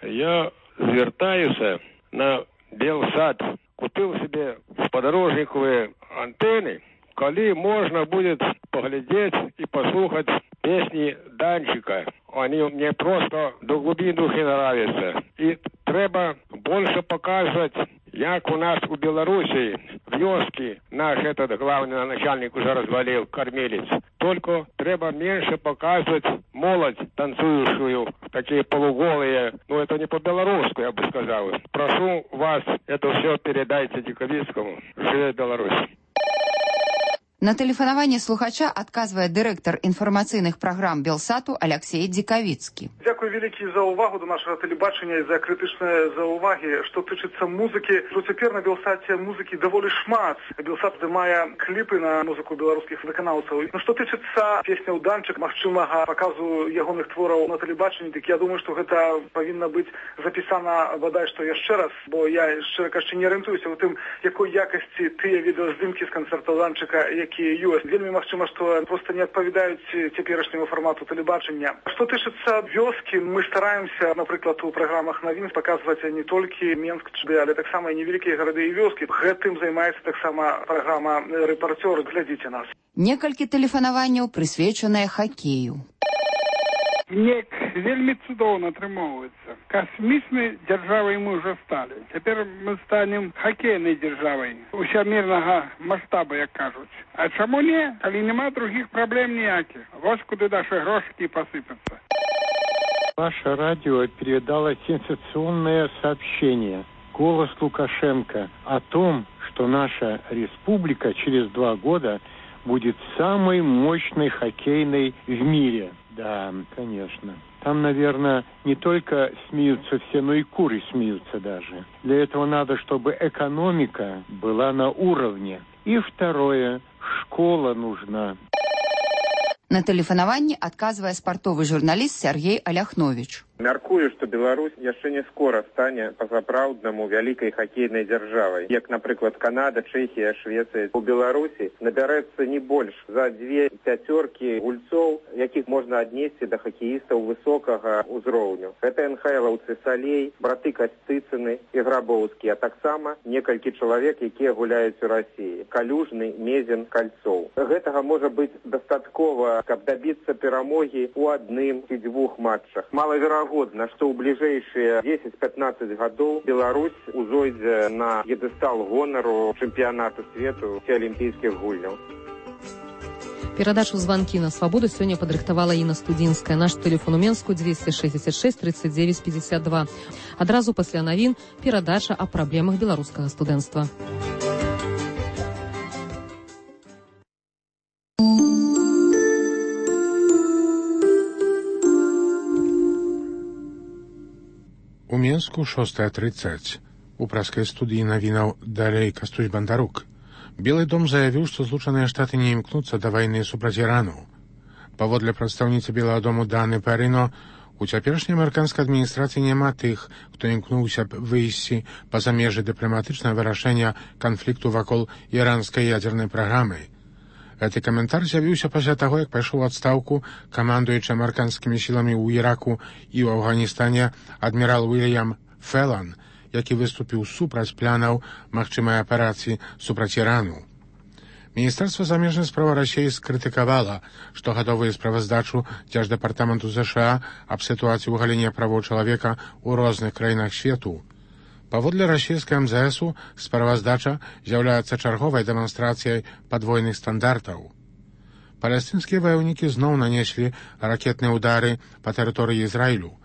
Я звертаюся на Белсат. Купил себе в подорожниковые антенны, коли можно будет поглядеть и послушать песни Данчика. Они мне просто до глубины души нравятся. И треба больше показывать, як у нас у Белоруссии в вёске наш этот главный начальник уже развалил, кормилец. Только треба меньше показывать молодь танцующую, такие полуголые. Ну, это не по-белорусски, я бы сказал. Прошу вас, это все передайте Диковицкому. Живе Беларусь. На тэлефанаванне слухача адказвае дырэктар інфармацыйных праграм Белсату Алексей Дикавицкі. Дзякуй вялікі за ўвагу до нашага тэлебачання і за крытычныя заўвагі. Што тычыцца музыкі, то цяпер на Белсаце музыкі даволі шмат. Белсат здымае кліпы на музыку беларускіх выканаўцаў. Ну, што тычыцца песняў Данчык, магчымага паказу ягоных твораў на тэлебачанні, дык я думаю, што гэта павінна быць запісана бадай што яшчэ раз, бо я, шчыра кажучы, не арыентуюся ў тым, якой якасці тыя відэаздымкі з канцэртаў Данчыка, ёсць. Вельмі магчыма, што проста не адпавядаюць цяперашняму фармату тэлебачання. Што тычыцца вёскі, мы стараемся, напрыклад, у праграмах навін паказваць не толькі Менск, але таксама і невялікія гарады і вёскі. Гэтым займаецца таксама праграма «Рэпартёр». Глядзіце нас. Некалькі тэлефанаванняў прысвечаныя хакею. Неяк вельмі цудоўна атрымоўваецца. Касмічнай дзяржавай мы ўжо сталі. Цяпер мы станем хакейнай дзяржавай усямірнага маштабу, як кажуць. А чаму не, калі няма другіх праблем ніякіх? Вось куды нашы грошыкі пасыпяцца. Ваше радио передало сенсационное сообщение. Голос Лукашенко о том, что наша республика через 2 года будет самой мощной хоккейной в мире. Да, конечно. Там, наверное, не только смеются все, но и куры смеются даже. Для этого надо, чтобы экономика была на уровне. И второе, школа нужна. На тэлефанаванні адказвае спартовы журналіст Сергей Аляхновіч. Мяркую, што Беларусь яшчэ не скора стане па-сапраўднаму вялікай хакейнай дзяржавай. Як, напрыклад, Канада, Чэхія, Швецыя. У Беларусі набярэцца не больш за 2 пяцёркі гульцоў, якіх можна аднесці да хакеістаў высокага ўзроўню. Гэта НХЛаўцы Салей, браты Касцыцыны і Грабоўскі, а таксама некалькі чалавек, якія гуляюць у Расіі. Калюжны, Мезен, Кальцоў. Гэтага можа быць дастаткова, каб дабіцца перамогі ў 1 ці 2 матчах. Малаверагодна, неверагодна, што ў бліжэйшыя 10-15 гадоў Беларусь узойдзе на п'едэстал гонару чэмпіянату свету ці алімпійскіх гульняў. Перадачу «Звонки на свободу» сёння падрыхтавала Інна Студзінская. Наш тэлефон у Менску 266 39 52. Адразу пасля навін перадача аб праблемах беларускага студэнцтва. У Менску 6:30. У праскай студыі навінаў далей Кастусь Бандарук. Белы дом заявіў, што Злучаныя Штаты не імкнуцца да вайны супраць Ірану. Паводле прадстаўніцы Белага дому Даны Парино, у цяперашняй амерыканскай адміністрацыі няма тых, хто імкнуўся б выйсці па-за межы дыпламатычнага вырашэння канфлікту вакол іранскай ядзернай праграмы. Гэты каментар з'явіўся пасля таго, як пайшоў у адстаўку камандуючы амерыканскімі сіламі ў Іраку і ў Афганістане адмірал Уільям Фелан, які выступіў супраць планаў магчымай аперацыі супраць Ірану. Міністэрства замежных спраў Расіі скрытыкавала штогадовую справаздачу Дзярждэпартаменту ЗША аб сітуацыі ў галіне правоў чалавека ў розных краінах свету. Паводле расійскай МЗСу справаздача з'яўляецца чарговай дэманстрацыяй падвойных стандартаў. Палестынскія ваяўнікі зноў нанеслі ракетныя ўдары па тэрыторыі Ізраілю.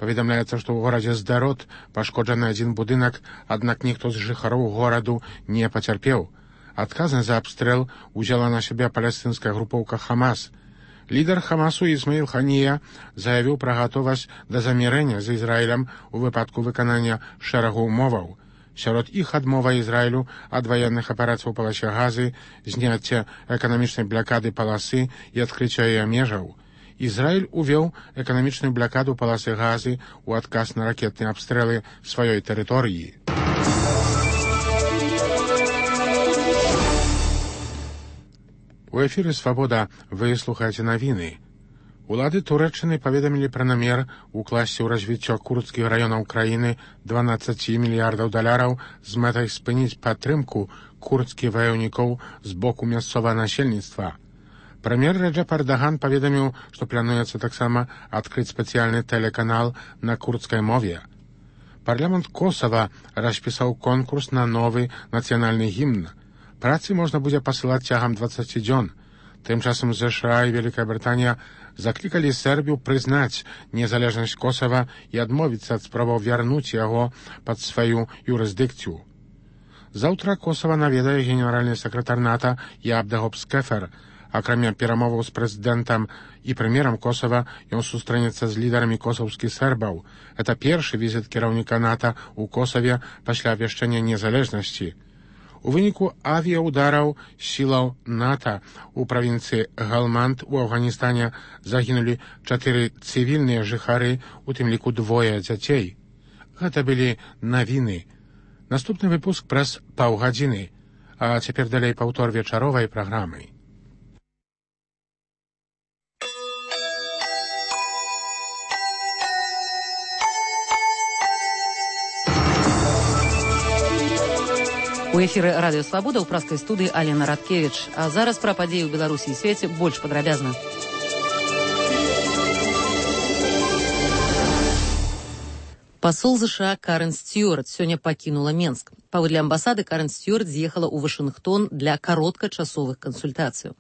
Паведамляецца, што ў горадзе Сдарот пашкоджаны адзін будынак, аднак ніхто з жыхароў гораду не пацярпеў. Адказнасць за абстрэл узяла на сябе палестынская групоўка Хамас. Лідар Хамасу Ісмаіл Ханія заявіў пра гатовасць да замірэння з Ізраілем у выпадку выканання шэрагу ўмоваў. Сярод іх адмова Ізраілю ад ваенных аперацый у паласе Газы, зняцце эканамічнай блакады паласы і адкрыцця яе межаў. Ізраіль увёў эканамічную блакаду паласы Газы ў адказ на ракетныя абстрэлы сваёй тэрыторыі. У эфіры «Свабода» вы слухаеце навіны. Улады Турэччыны паведамілі пра намер укласці ў развіццё курдскіх раёнаў краіны 12 мільярдаў даляраў з мэтай спыніць падтрымку курдскіх ваяўнікоў з боку мясцовага насельніцтва. Прэм'ер Рэджэп Эрдаган паведаміў, што плануецца таксама адкрыць спецыяльны тэлеканал на курдскай мове. Парламент Косава распісаў конкурс на новы нацыянальны гімн. Працы можна будзе пасылаць цягам 20 дзён. Тым часам ЗША і Вялікая Брытанія заклікалі Сербію прызнаць незалежнасць Косава і адмовіцца ад спробаў вярнуць яго пад сваю юрысдыкцыю. Заўтра Косава наведае генеральны сакратар НАТО Ябдагоб Скефер. Акрамя перамоваў з прэзідэнтам і прэм'ерам Косава, ён сустрэнецца з лідарамі косаўскіх сербаў. Гэта першы візіт кіраўніка НАТО ў Косаве пасля абвяшчэння незалежнасці. У выніку авіяудараў сілаў НАТО у правінцыі Галманд у Афганістане загінулі 4 цывільныя жыхары, у тым ліку 2 дзяцей. Гэта былі навіны. Наступны выпуск праз паўгадзіны, а цяпер далей паўтор вечаровай праграмы. У эфіры радыё «Свабода» ў праскай студыі Алена Радкевіч. А зараз пра падзеі ў Беларусі і свеце больш падрабязна. Пасол ЗША Карен Стюарт сёння пакінула Менск. Паводле амбасады Карен Стюарт з'ехала ў Вашынгтон для кароткачасовых кансультацыяў.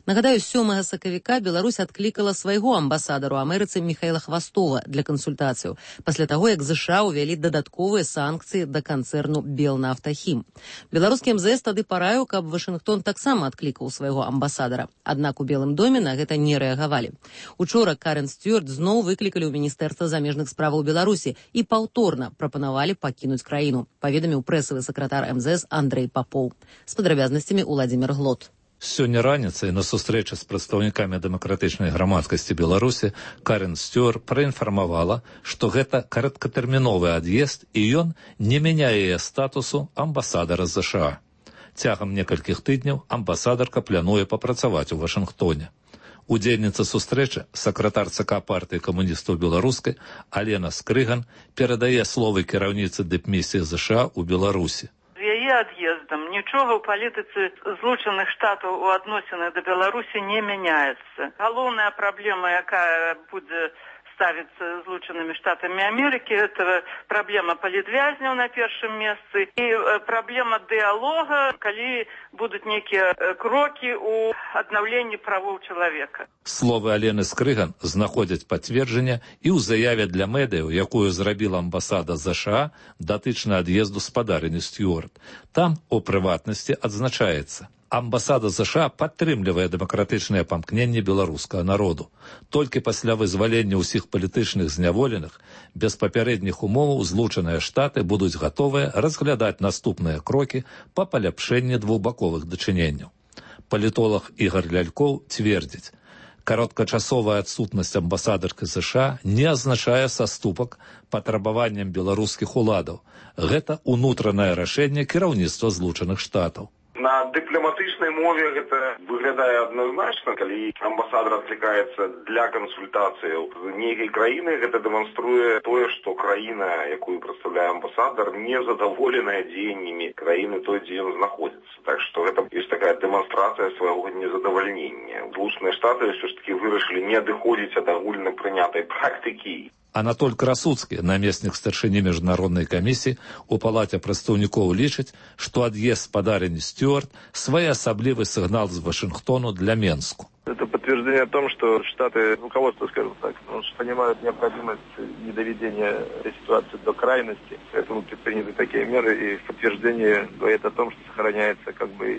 Нагадаю, 7 сакавіка Беларусь адклікала свайго амбасадару Амерыцы Міхаіла Хвастова для кансультацыяў, пасля таго, як ЗША ўвялі дадатковыя санкцыі да канцэрну «Белнафтахім». Беларускі МЗС тады параіў, каб Вашынгтон таксама адклікаў свайго амбасадара. Аднак у Белым доме на гэта не рэагавалі. Учора Карен Стюарт зноў выклікалі ў Міністэрства замежных справаў Беларусі і паўторна прапанавалі пакінуць краіну, паведаміў прэсавы сакратар МЗС Андрэй Папоў. З падрабязнасцямі Уладзімір Глот. Сёння раніцай на сустрэчы з прадстаўнікамі дэмакратычнай грамадскасці Беларусі Карен Стюарт праінфармавала, што гэта кароткатэрміновы ад'езд і ён не мяняе яе статусу амбасадара ЗША. Цягам некалькіх тыдняў амбасадарка плануе папрацаваць у Вашынгтоне. Удзельніца сустрэчы, сакратар ЦК партыі камуністаў беларускай Алена Скрыган перадае словы кіраўніцы дыпмісіі ЗША ў Беларусі. З яе ад'ездам нічога ў палітыцы Злучаных Штатаў у адносінах да Беларусі не мяняецца. Галоўная праблема, якая будзе ставится Злученными Штатами Америки. Это проблема палітвязняў на першым месцы и проблема диалога, коли будут некие кроки у аднаўлення правоў человека. Словы Алены Скрыган знаходзяць пацверджання і ў заяве для медыяў, якую зрабіла амбасада США датычна ад'езду спадарыні Стюарт. Там, у прыватнасці, адзначаецца: амбасада США падтрымлівае дэмакратычнае памкненне беларускага народу. Толькі пасля вызвалення ўсіх палітычных зняволеных, без папярэдніх умоваў Злучаныя Штаты будуць гатовыя разглядаць наступныя крокі па паляпшэнні двухбаковых дачыненняў. Палітолог Ігор Лялькоў цвердзіць: кароткачасовая адсутнасць амбасадаркі США не азначае саступак патрабаванням беларускіх уладаў. Гэта ўнутранае рашэнне кіраўніцтва Злучаных Штатаў. На дыпламатычнай мове гэта выглядае адназначна, калі амбасадар адклікаецца для кансультацыяў з нейкай краіны, гэта дэманструе тое, што краіна, якую прадстаўляе амбасадар, не задаволеная дзеяннямі краіны той, дзе ён знаходзіцца. Так што гэта ёсць такая дэманстрацыя свайго незадавальнення. Злучаныя Штаты ўсё ж такі вырашылі не адыходзіць ад агульна прынятай практыкі. Анатоль Красуцкі, намеснік старшыні міжнароднай камісіі у палаце прадстаўнікоў, лічыць, што ад'езд спадарыні Стюарт своеасаблівы сігнал з Вашингтону для Менску. Это подтверждение о том, что Штаты, руководство, скажем так, понимают необходимость недоведения этой ситуации до крайности. Поэтому предприняты такие меры, и подтверждение говорит о том, что сохраняется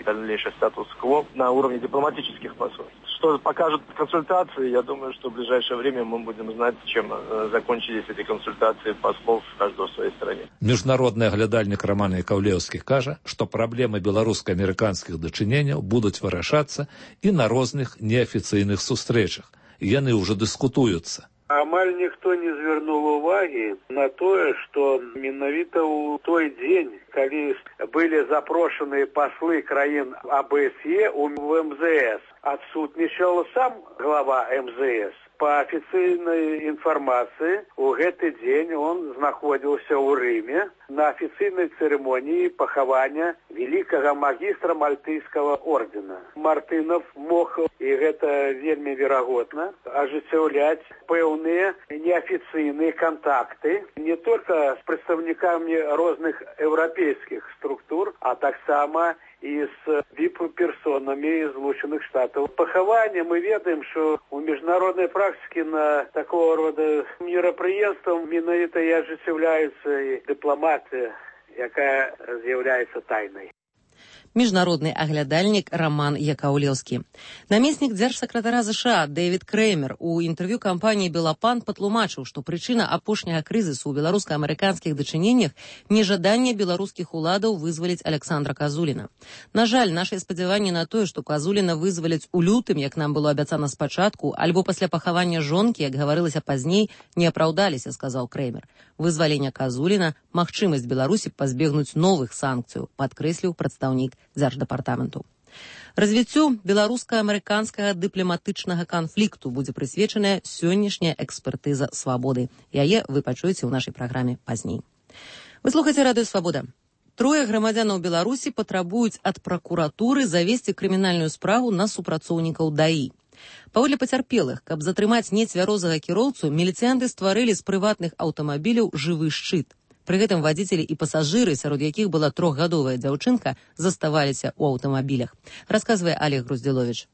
дальнейший статус-кво на уровне дипломатических посольств. Что покажут консультации, я думаю, что в ближайшее время мы будем знать, чем закончились эти консультации послов каждого в своей стране. Міжнародны аглядальнік Роман Яковлеўскі кажа, што праблемы беларуска-амерыканскіх дачыненняў будуць вырашацца і на розных неафіцыйных сустрэчах. Яны ўжо дыскутуюцца. Амаль ніхто не звярнуў увагі на тое, што менавіта ў той дзень, калі былі запрошаны паслы краін АБСЕ у МЗС, адсутнічаў сам глава МЗС. По официальной информации, у гэты дзень он знаходзіўся ў Рыме на официальной церемонии пахавання великого магистра Мальтыйского ордена. Мартынов мог, и гэта вельмі верагодна, ажыццяўляць пэўныя неофициальные контакты не только с представниками розных европейских структур, а таксама и с вип-персонами из Злученных Штатов. Пахавання мы ведаем, что у международной практики на такого рода мерапрыемствам менавіта і ажыццяўляецца і дыпламатыя, якая з'яўляецца тайнай. Міжнародны аглядальнік Роман Яковлеўскі. Намеснік дзяржсакратара США Дэвід Крэмер у інтэрв'ю кампаніі «Белапан» патлумачыў, што прычына апошняга крызісу ў беларуска-амерыканскіх дачыненнях – нежаданне беларускіх уладаў вызваліць Александра Казуліна. На жаль, нашыя спадзяванні на тое, што Казуліна вызваляць у лютым, як нам было абяцана спачатку, альбо пасля пахавання жонкі, як гаварылася пазней, не апраўдаліся, сказаў Крэмер. Вызвалення Казуліна – магчымасць Беларусі пазбегнуць новых санкцыяў, падкрэсліў прадстаўнік Дзярждэпартаменту. Развіццю беларуска-амерыканскага дыпламатычнага канфлікту будзе прысвечаная сённяшняя экспертыза «Свабоды». Яе вы пачуеце ў нашай праграме пазней. Вы слухаеце радыё «Свабода». Трое грамадзянаў Беларусі патрабуюць ад пракуратуры завесці крымінальную справу на супрацоўнікаў ДАІ. Паводле пацярпелых, каб затрымаць нецвярозага кіроўцу, міліцыянты стварылі з прыватных аўтамабіляў жывы шчыт. Пры гэтым вадзіцелі і пасажыры, сярод якіх была 3гадовая дзяўчынка, заставаліся ў аўтамабілях. Расказвае Олег Груздзіловіч.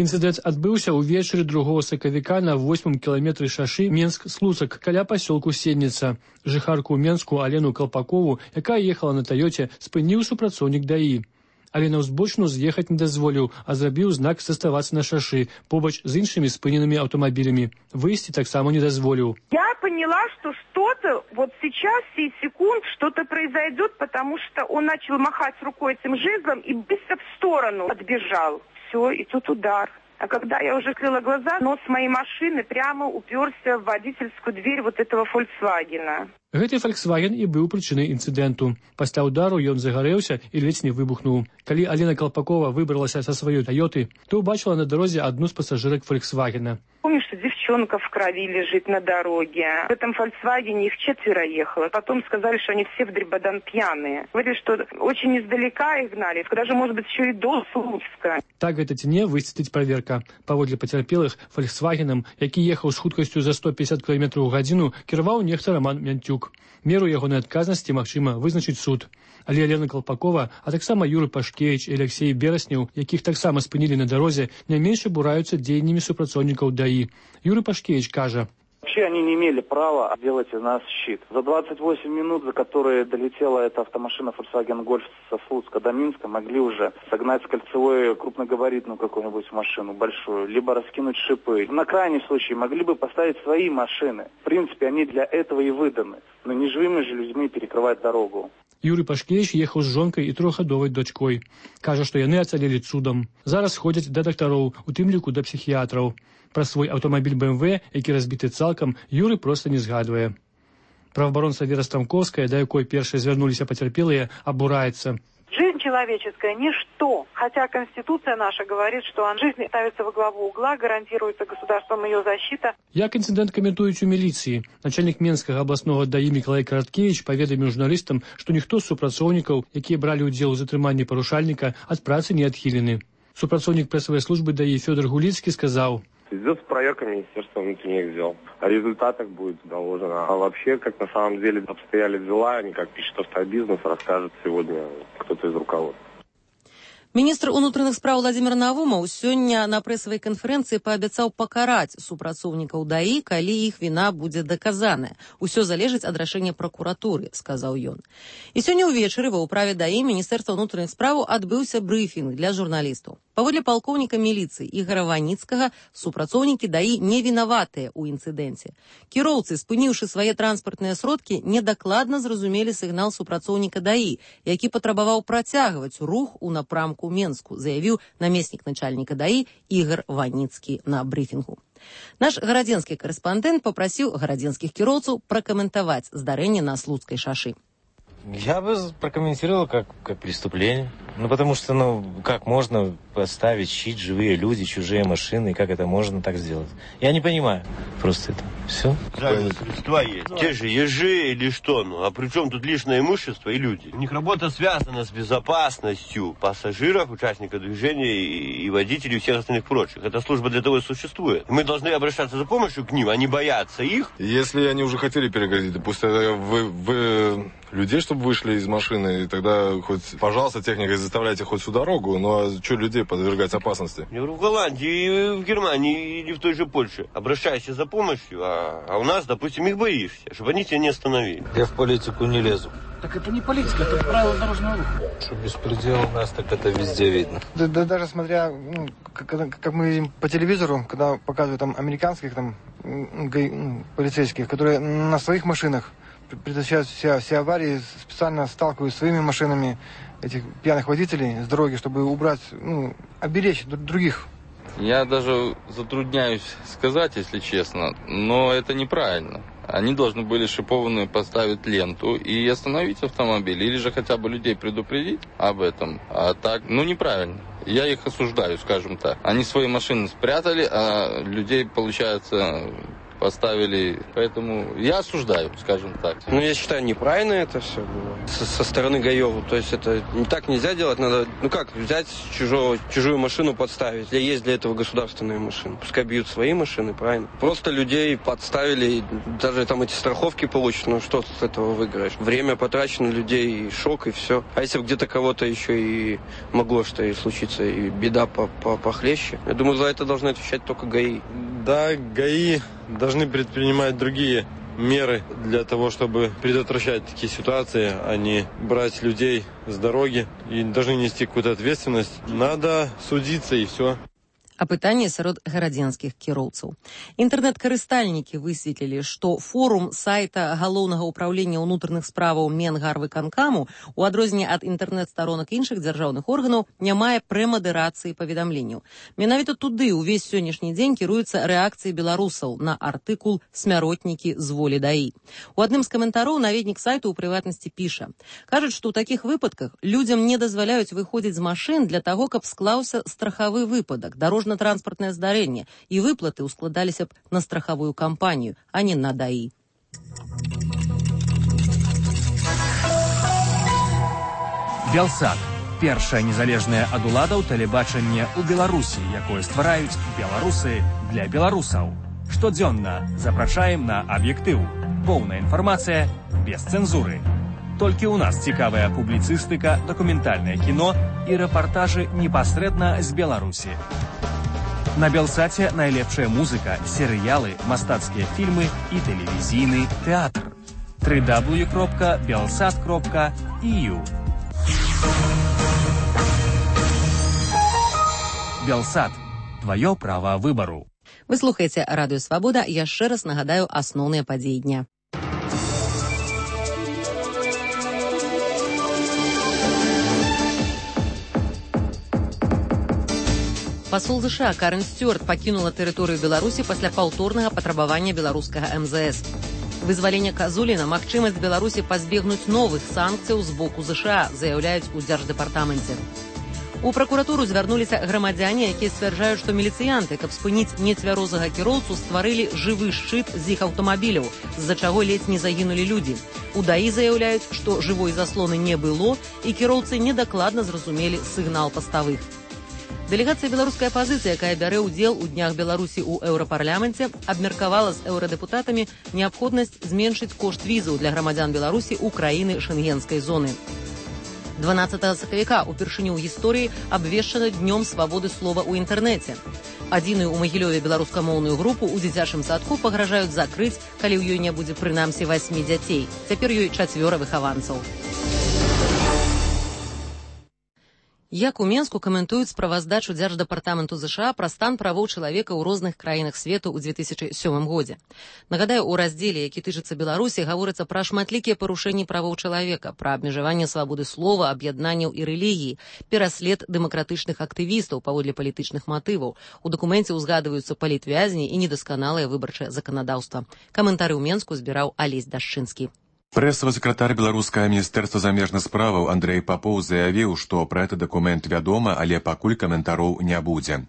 Інцыдэнт адбыўся ўвечары 2 сакавіка на 8 кіламетры шашы Менск-Слуцак каля пасёлку Сенніца. Жыхарку Менску Алену Калпакову, якая ехала на Тойоце, спыніў супрацоўнік ДАІ. Але на ўзбочыну з'ехаць не дазволіў, а зрабіў знак заставацца на шашы, побач з іншымі спыненымі аўтамабілямі. Выйсці таксама не дазволіў. Я поняла, что что-то вот сейчас, сей секунд, что-то произойдет, потому что он начал махать рукой этим жезлом и быстро в сторону отбежал. Все, и тут удар. А когда я уже открыла глаза, нос моей машины прямо уперся в водительскую дверь вот этого «Фольксвагена». Гэты «Фольксваген» і быў прычынай інцыдэнту. Пасля ўдару ён загарэўся і ледзь не выбухнуў. Калі Алена Калпакова выбралася са сваёй «Тойоты», то ўбачыла на дарозе адну з пасажырак «Фольксвагена». Помню, что девчонка девчонка в крови лежит на дороге. В этом «Фольксвагене» их 4 ехало. Потом сказали, что они все в дребодан пьяные. Говорили, что очень издалека их гнали, даже, может быть, еще и до Слуцка. Так гэта ці не высветліць праверка. Паводле пацярпелых «Фольксвагенам», які ехаў з хуткасцю за 150 км ў гадзіну, кіраваў нехта Роман Мянтюк. Меру ягонай адказнасці магчыма вызначыць суд. Але Алена Колпакова, а таксама Юры Пашкевич і Алексей Берасняў, якіх таксама спынілі на дарозе, не менш абураюцца дзеяннямі супрацоўнікаў ДАИ. Юры Пашкевич кажа: вообще они не имели права делать из нас щит. За 28 минут, за которые долетела эта автомашина Volkswagen Golf со Слуцка до Минска, могли уже согнать с кольцевой крупногабаритную какую-нибудь машину большую, либо раскинуть шипы. На крайний случай могли бы поставить свои машины. В принципе, они для этого и выданы. Но не живыми же людьми перекрывать дорогу. Юрый Пашкевич ехаў з жонкай і 3гадовай дочкой. Кажа, што яны ацалелі цудам. Зараз ходзяць да дактароў, у тым ліку да псіхіятраў. Пра свой аўтамабіль BMW, які разбіты цалкам, Юры проста не згадвае. Праваабаронца Вера Стамковская, да якой першай звярнуліся пацярпелыя, абураецца. Жизнь человеческая – ничто. Хотя Конституция наша говорит, что жизнь ставится во главу угла, гарантируется государством ее защита. Як інцыдэнт каментуюць у міліцыі. Начальнік Менскага абласнога ДАИ Мікалай Караткевич паведаміў журналістам, што ніхто з супрацоўнікаў, якія бралі ўдзел у затрыманні парушальніка, ад працы не адхілены. Супрацоўнік прэсавай службы ДАИ Фёдор Гулицкий сказаў: идет проверка Министерства внутренних дел. О результатах будет доложено. А вообще, как на самом деле обстояли дела, не как пишет Автобизнес, расскажет сегодня кто-то из руководства. Міністр унутраных спраў Владзімір Навумаў сёння на прэсавай канферэнцыі паабяцаў пакараць супрацоўнікаў ДАИ, калі іх віна будзе даказаная. Усё залежыць ад рашэння пракуратуры, сказаў ён. І сёння ўвечары ва ўправе ДАИ Міністэрства ўнутраных спраў адбыўся брыфінг для журналістаў. Паводле палкоўніка міліцыі Ігора Ваніцкага, супрацоўнікі ДАИ не вінаватыя ў інцыдэнце. Кіроўцы, спыніўшы свае транспартныя сродкі, недакладна зразумелі сігнал супрацоўніка ДАИ, які патрабаваў працягваць рух у напрамку Менску, заявіў намеснік начальніка ДАИ Ігор Ваніцкі на брыфінгу. Наш гарадзенскі карэспандэнт папрасіў гарадзенскіх кіроўцаў пракаментаваць здарэнне на Слуцкай шашы. Я бы прокомментировал как преступление. Потому что, как можно поставить щит, живые люди, чужие машины, как это можно так сделать? Я не понимаю просто это. Все. Средства есть. Те же ежи или что, а при чем тут лишнее имущество и люди? У них работа связана с безопасностью пассажиров, участников движения и водителей и всех остальных прочих. Эта служба для того и существует. Мы должны обращаться за помощью к ним, а не бояться их. Если они уже хотели перегородить, да пусть вы людей, чтобы вышли из машины, и тогда хоть, пожалуйста, техникой заставляйте хоть всю дорогу, но что людей подвергать опасности? В Голландии, в Германии или в той же Польше обращайся за помощью, а у нас, допустим, их боишься, чтобы они тебя не остановили. Я в политику не лезу. Так это не политика, это правила дорожного руха. Что беспредел у нас, так это везде видно. Да даже смотря, как мы видим по телевизору, когда показывают там американских полицейских, которые на своих машинах предотвращают все аварии, специально сталкивают своими машинами этих пьяных водителей с дороги, чтобы убрать, оберечь других. Я даже затрудняюсь сказать, если честно, но это неправильно. Они должны были шипованную поставить ленту и остановить автомобиль, или же хотя бы людей предупредить об этом. А так, неправильно. Я их осуждаю, скажем так. Они свои машины спрятали, а людей, получается, поставили. Поэтому я осуждаю, скажем так. Я считаю, неправильно это все было со стороны ГАИ. То есть это так нельзя делать. Надо, взять чужую машину подставить. Есть для этого государственные машины. Пускай бьют свои машины, правильно. Просто людей подставили, даже там эти страховки получат. Что с этого выиграешь? Время потрачено людей, и шок, и все. А если бы где-то кого-то еще и могло что и случиться, и беда похлеще, я думаю, за это должны отвечать только ГАИ. Да, ГАИ должны предпринимать другие меры для того, чтобы предотвращать такие ситуации, а не брать людей с дороги и должны нести какую-то ответственность. Надо судиться и все. Апытанне сярод гарадзенскіх кіроўцаў. Інтэрнэт-карыстальнікі высветлілі, што форум сайта Галоўнага ўправлення ўнутраных справаў Менгарвыканкаму, у адрозненне ад інтэрнэт-старонак іншых дзяржаўных органаў, не мае прэмадэрацыі паведамленняў. Менавіта туды ўвесь сённяшні дзень кіруецца рэакцыяй беларусаў на артыкул «Смяротнікі з волі ДАИ». У адным з каментароў наведнік сайту ў прыватнасці піша: кажуць, што ў такіх выпадках людзям не дазваляюць выходзіць з машын для таго, каб склаўся страхавы выпадак, дарожны дорожно-транспартнае здарэнне, і выплаты ускладаліся б на страхавую кампанію, а не на ДАІ. Белсат. Першае незалежнае ад уладаў тэлебачанне ў Беларусі, якое ствараюць беларусы для беларусаў. Штодзённа запрашаем на аб'ектыў. Поўная інфармацыя без цэнзуры. Толькі ў нас цікавая публіцыстыка, дакументальнае кіно і рэпартажы непасрэдна з Беларусі. На Белсаце найлепшая музыка, серыялы, мастацкія фільмы і тэлевізійны тэатр. www.belsat.eu Белсат. Твоё право выбору. Вы слухаеце Радыё Свабода. Яшчэ раз нагадаю асноўныя падзеі дня. Пасол США Карен Стюарт пакінула тэрыторыю Беларусі пасля паўторнага патрабавання беларускага МЗС. Вызвалення Казуліна – магчымасць Беларусі пазбегнуць новых санкцыяў з боку США, заяўляюць у Дзярждэпартаменце. У пракуратуру звярнуліся грамадзяне, якія сцвярджаюць, што міліцыянты, каб спыніць нецвярозага кіроўцу, стварылі жывы шчыт з іх аўтамабіляў, з-за чаго ледзь не загінулі людзі. У ДАІ заяўляюць, што жывой заслоны не было, і кіроўцы недакладна зразумелі сігнал паставых. Дэлегацыя беларускай апазіцыі, якая бярэ ўдзел у днях Беларусі ў еўрапарламенце, абмеркавала з еўрадэпутатамі неабходнасць зменшыць кошт візаў для грамадзян Беларусі ў краіны шэнгенскай зоны. 12 сакавіка упершыню ў гісторыі абвешчана днём свабоды слова ў інтэрнэце. Адзіную ў Магілёве беларускамоўную групу ў дзіцячым садку пагражаюць закрыць, калі ў ёй не будзе прынамсі 8 дзяцей. Цяпер ёй 4 выхаванцаў. Як у Менску каментуюць справаздачу Дзярждэпартаменту США пра стан правоў чалавека ў розных краінах свету ў 2007 годзе. Нагадаю, у раздзеле, які тычыцца Беларусі, гаворыцца пра шматлікія парушэнні правоў чалавека, пра абмежаванне свабоды слова, аб'яднанняў і рэлігіі, пераслед дэмакратычных актывістаў паводле палітычных матываў. У дакуменце ўзгадваюцца палітвязні і недасканалае выбарчае заканадаўства. Каментары ў Менску збіраў Алесь Дашчынскі. Прэсавы сакратар беларускага міністэрства замежных справаў Андрэй Папоў заявіў, што пра гэты дакумент вядома, але пакуль каментароў не будзе.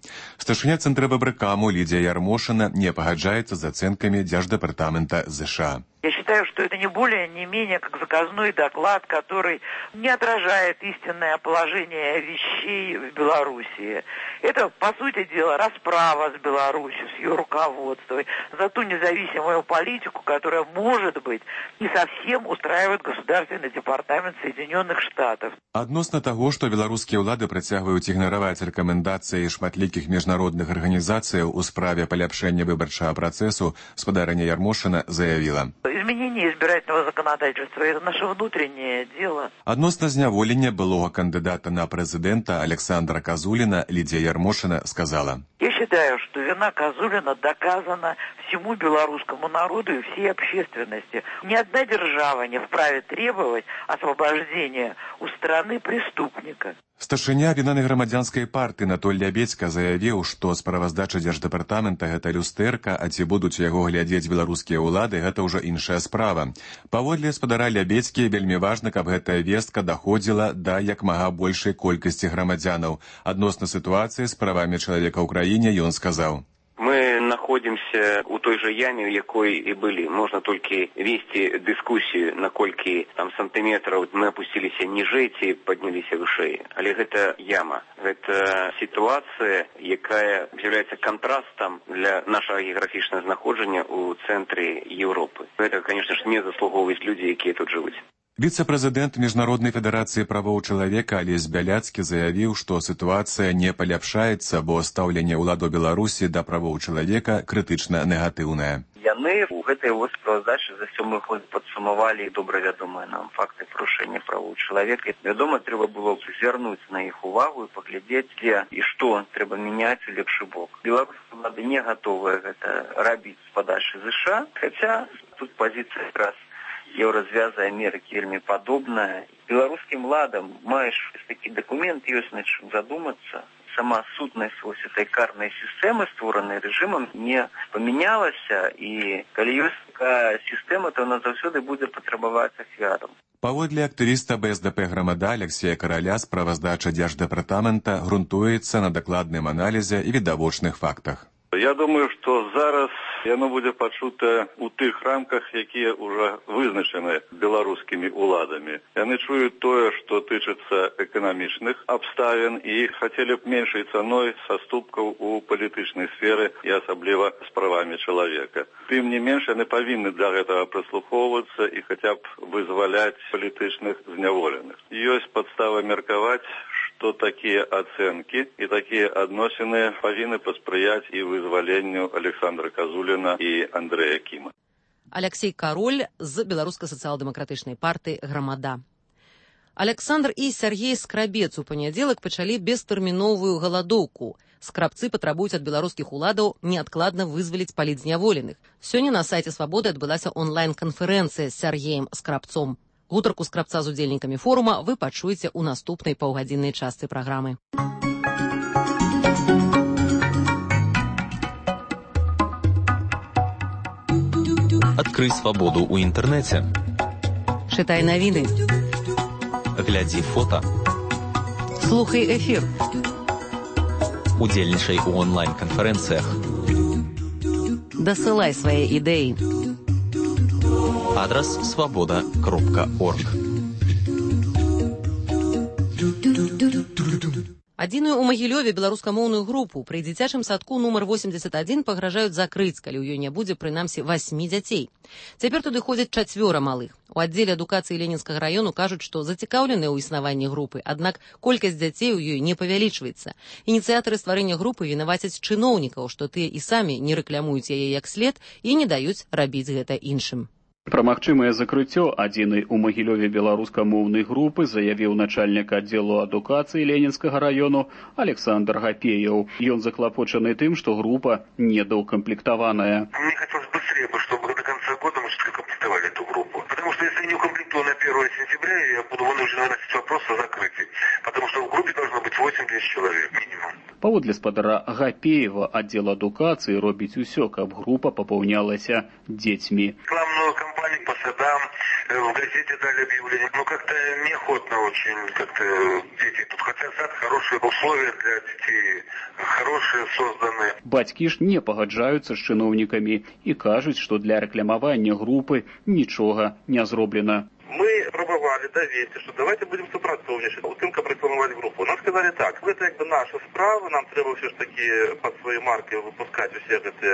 Старшыня Цэнтра ББКаму Лідзія Ярмошына не пагаджаецца з ацэнкамі Дзярждэпартамента США. Я считаю, что это не более, не менее как заказной доклад, который не отражает истинное положение вещей в Белоруссии. Это, по сути дела, расправа с Беларусью, с ее руководством, за ту независимую политику, которая, может быть, не совсем устраивает Государственный департамент Соединенных Штатов. Адносна таго, што беларускія ўлады працягваюць ігнараваць рэкамендацыі шматлікіх міжнародных арганізацыяў у справе паляпшэння выбарчага працэсу, спадарыня Ярмошына заявіла: изменение избирательного законодательства – это наше внутреннее дело. Адносна зняволення былога кандидата на президента Александра Казулина Лидия Ярмошина сказала: Я считаю, что вина Казулина доказана всему белорусскому народу и всей общественности. Ни одна держава не вправе требовать освобождения у страны преступника. Старшыня аб'яднанай грамадзянскай партыі Анатоль Лябедзька заявіў, што справаздача Дзярждэпартамента гэта люстэрка, а ці будуць яго глядзець беларускія ўлады, гэта ўжо іншая справа. Паводле спадара Лябедзькі, вельмі важна, каб гэтая вестка даходзіла да як мага большай колькасці грамадзянаў. Адносна сітуацыі з правамі чалавека ў краіне ён сказаў: Мы находимся у той же яме, в якой и были. Можно только вести дискуссию, накольки там сантиметров мы опустились ниже и поднялись выше. Але это яма. Это ситуация, якая является контрастом для нашего географичного знаходження у центре Европы. Это, конечно же, не заслуговують люди, які тут живут. Віцэ-прэзідэнт Міжнароднай федэрацыі правоў чалавека Алесь Бяляцкі заявіў, што сітуацыя не паляпшаецца, бо стаўленне ўладаў Беларусі да правоў чалавека крытычна негатыўнае. Яны ў гэтай справаздачы за 7 год падсумавалі добра вядомыя нам факты парушэння правоў чалавека. Вядома, трэба было б звярнуць на іх увагу і паглядзець, дзе і што трэба мяняць у лепшы бок. Беларускія ўлады не гатовыя гэта рабіць з падачы США, хаця тут пазіцыя якраз Еўразвяза Амерыкі вельмі падобная. Беларускім ладам маеш такі дакумент, ёсць над чым задумацца. сама сутнасць вось этой карнай сістэмы, створанай рэжымам, не памянялася, і калі ёсць такая сістэма, то она заўсёды будзе патрабаваць ахвярам. Паводле актывіста БСДП «Грамада» Алексея Караля, справаздача Дзярждэпартамента грунтуецца на дакладным аналізе і відавочных фактах. Я думаю, што зараз яно будзе пачута ў тых рамках, якія ўжо вызначаны беларускімі ўладамі. Яны чуюць тое, што тычыцца эканамічных абставін і хацелі б меншай цаной саступкаў у палітычнай сферы і асабліва з правамі чалавека. Тым не менш, яны павінны для гэтага прыслухоўвацца і хаця б вызваляць палітычных зняволеных. Ёсць падстава меркаваць, што такія ацэнкі і такія адносіны павінны паспрыяць і вызваленню Александра Казуліна і Андрэя Кіма. Алексей Кароль з беларуска-сацыял-дэмакратычнай партыі «Грамада». Александр і Сергей Скрабец у панядзелак пачалі бестэрміновую галадоўку. Скрабцы патрабуюць ад беларускіх уладаў неадкладна вызваліць палітзняволеных. Сёння на сайце «Свабоды» адбылася онлайн-канферэнцыя з Сергеем Скрабцом. Гутарку Скрабца з удзельнікамі форума вы пачуеце ў наступнай паўгадзіннай частцы праграмы. Адкрый свабоду ў інтэрнэце. Чытай навіны. Глядзі фота. Слухай эфір. Удзельнічай у онлайн-канферэнцыях. Дасылай свае ідэі. Адрас свабода.орг. Адзіную ў Магілёве беларускамоўную групу пры дзіцячым садку нумар 81 пагражаюць закрыць, калі ў ёй не будзе прынамсі 8 дзяцей. Цяпер туды ходзяць 4 малых. У аддзеле адукацыі Ленінскага раёну кажуць, што зацікаўленыя ў існаванні групы, аднак колькасць дзяцей у ёй не павялічваецца. Ініцыятары стварэння групы вінавацяць чыноўнікаў, што тыя і самі не рэкламуюць яе як след і не даюць рабіць гэта іншым. Пра магчымае закрыццё адзінай у Магілёве беларускамоўнай групы заявіў начальнік аддзелу адукацыі Ленінскага раёну Александр Гапеяў. Ён заклапочаны тым, што група недоукомплектаваная. Мне хотелось быстрее, чтобы до конца года мы все-таки комплектовали эту группу. Потому что если не укомплектую на 1 сентября, я буду вынужден выносить вопрос о закрытии. Потому что в группе должно быть 80 человек минимум. Паводле спадара Гапеева, аддзел адукацыі робіць усё, каб група папаўнялася дзецьмі. Рекламную кампанию по садам, в газете дали объявление. Но как-то неохотно очень как-то дети тут. Хотя сад хорошие условия для детей, хорошие созданы. Бацькі ж не пагаджаюцца з чыноўнікамі і кажуць, што для рэкламавання групы нічога не зроблена. Мы пробовали довести, что давайте будем супрацовничать, у тым, как рекламовать группу. Нам сказали так, это как бы наша справа, нам треба все ж таки под своей маркой выпускать все эти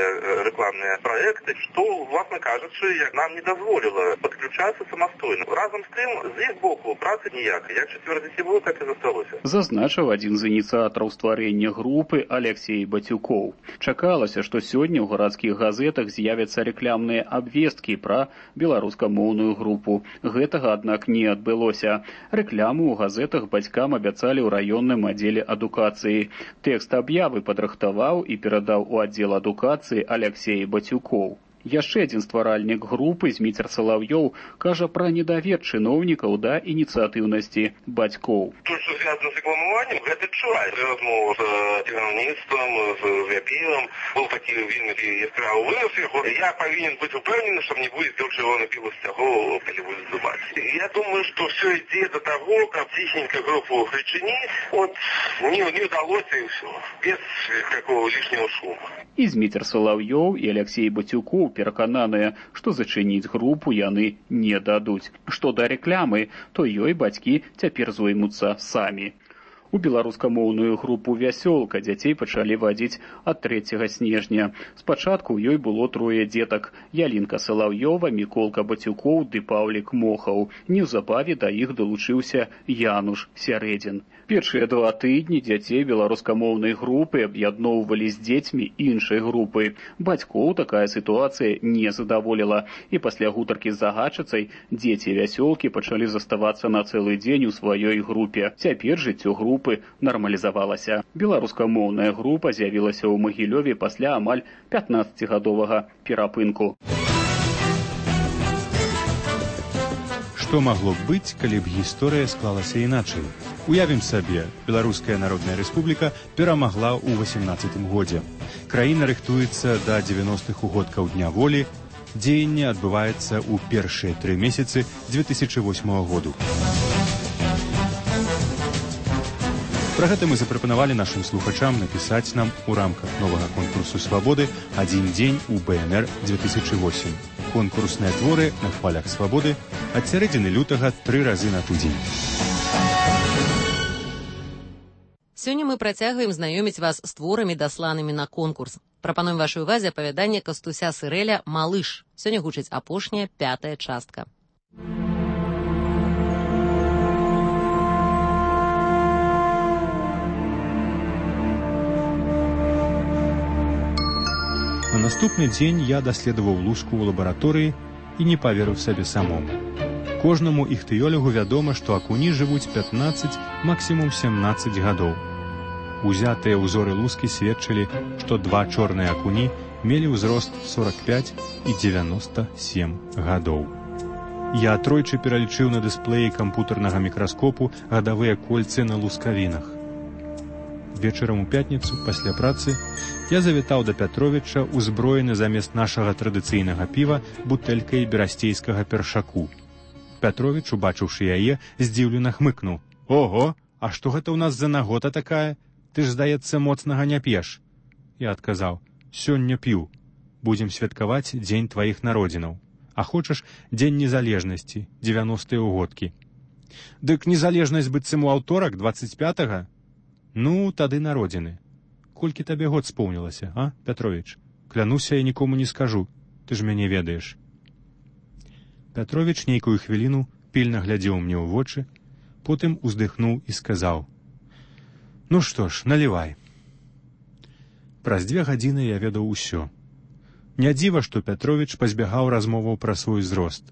рекламные проекты, что, власне кажучи, нам не дозволило подключаться самостойно. Разом з тим, з їх боку, праці ніякої. Як 4 дітей було, так і засталося. Зазначыў адзін з ініцыятараў стварэння групы Алексей Батюкоў. Чакалася, што сёння ў гарадскіх газетах з'явяцца рэкламныя абвесткі пра беларускамоўную групу. Гэтага, аднак, не адбылося. Рэкламу ў газетах бацькам абяцалі ў раённым аддзеле адукацыі. Тэкст аб'явы падрыхтаваў і перадаў у аддзел адукацыі Алексей Батюкоў. Яшчэ адзін стваральнік групы, Зміцер Салаўёў, кажа пра недавер чыноўнікаў да ініцыятыўнасці бацькоў. То, что связано с рекламованием, это чувай. Размова с керівництвом, с Гапеевым, был такі вельми яскравий вынос його. Я повинен быть упевнений, что не будет того, что он напил с того, коли будет зубать. Я думаю, что все идет до того, как тихенько группу причинить, вот не удалось и все, без какого лишнего шума. І Зміцер Салаўёў і Алексей Батюкоў перакананыя, што зачыніць групу яны не дадуць. Што да рэкламы, то ёй бацькі цяпер зоймуцца самі. У беларускамоўную групу «Вясёлка» дзяцей пачалі вадзіць ад 3 снежня. Спачатку ў ёй было 3 дзетак – Ялінка Салаўёва, Міколка Батюкоў ды Паўлік Мохаў. Неўзабаве да іх далучыўся Януш Сярэдзін. Першыя 2 тыдні дзяцей беларускамоўнай групы аб'ядноўвалі з дзецьмі іншай групы. Бацькоў такая сітуацыя не задаволіла. І пасля гутаркі з загадчыцай дзеці «Вясёлкі» пачалі заставацца на цэлы дзень у сваёй групе. Цяпер жыццё групы нармалізавалася. Беларускамоўная група з'явілася ў Магілёве пасля амаль 15-гадовага перапынку. Што магло б быць, калі б гісторыя склалася іначай? Уявім сабе, Беларуская Народная Рэспубліка перамагла ў 18 годзе. Краіна рыхтуецца да 90-х угодкаў Дня волі. Дзеянне адбываецца ў першыя 3 месяцы 2008 году. Пра гэта мы запрапанавалі нашым слухачам напісаць нам у рамках новага конкурсу «Свабоды» «Адзін дзень у БНР-2008». Конкурсныя творы на хвалях свабоды ад сярэдзіны лютага 3 разы на тыдзень. Сёння мы працягваем знаёміць вас з творамі, дасланымі на конкурс. Прапануем вашай увазе апавяданне Кастуся Сырэля «Малыш». Сёння гучыць апошняя, 5-я частка. На наступны дзень я даследаваў луску ў лабараторыі і не паверыў сабе самому. Кожнаму іхтыёлягу вядома, што акуні жывуць 15, максімум 17 гадоў. Узятыя ўзоры лускі сведчылі, што 2 чорныя акуні мелі ўзрост 45 і 97 гадоў. Я тройчы пералічыў на дысплеі кампутарнага мікраскопу гадавыя кольцы на лускавінах. Вечарам у пятніцу, пасля працы, я завітаў да Пятровіча, узброены замест нашага традыцыйнага піва бутэлькай берасцейскага першаку. Пятровіч, убачыўшы яе, здзіўлена хмыкнуў. «Ого, а што гэта ў нас за нагота такая? Ты ж, здаецца, моцнага не п'еш». Я адказаў: «Сёння п'ю. Будзем святкаваць дзень тваіх народзінаў. А хочаш, дзень незалежнасці, 90-е ўгодкі». «Дык незалежнасць быццам у аўторак, 25-га? Ну, тады народзіны. Колькі табе год споўнілася, а, Пятровіч? Клянуся, я нікому не скажу, ты ж мяне ведаеш». Пятровіч нейкую хвіліну пільна глядзеў мне ў вочы, потым уздыхнуў і сказаў: «Ну што ж, налівай». Праз 2 гадзіны я ведаў усё. Не дзіва, што Пятровіч пазбягаў размоваў пра свой узрост.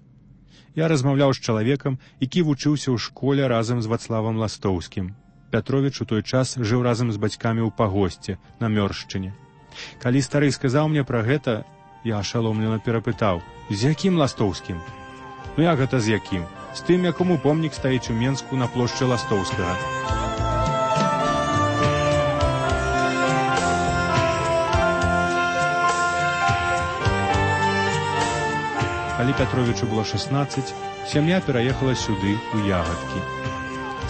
Я размаўляў з чалавекам, які вучыўся ў школе разам з Вацлавам Ластоўскім. Пятровіч у той час жыў разам з бацькамі ў пагосце на Мёршчыне. Калі стары сказаў мне пра гэта, я ашаломлена перапытаў: «З якім Ластоўскім?» «Ну як гэта з якім? З тым, якому помнік стаіць у Менску на плошчы Ластоўскага». Калі Пятровічу было 16, сям'я пераехала сюды, у Ягадкі.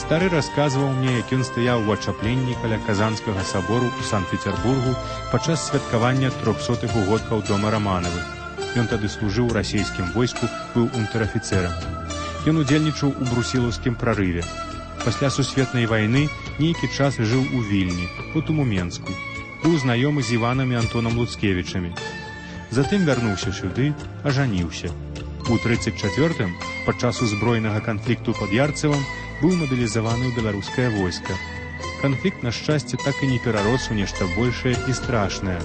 Стары расказваў мне, як ён стаяў у ачапленні каля Казанскага сабору ў Санкт-Петербургу падчас святкавання 300-х угодкаў дома Раманавых. Ён тады служыў у расійскім войску, быў унтэр-афіцэрам. Ён удзельнічаў у брусілаўскім прарыве. Пасля сусветнай вайны нейкі час жыў у Вільні, потым у Менску. Быў знаёмы з Іванам і Антонам Луцкевічамі. Затым вярнуўся сюды, ажаніўся. У 34-м, падчас узброенага канфлікту пад Ярцевым, быў мабілізаваны ў беларускае войска. Канфлікт, на шчасце, так і не перарос у нешта большае і страшнае.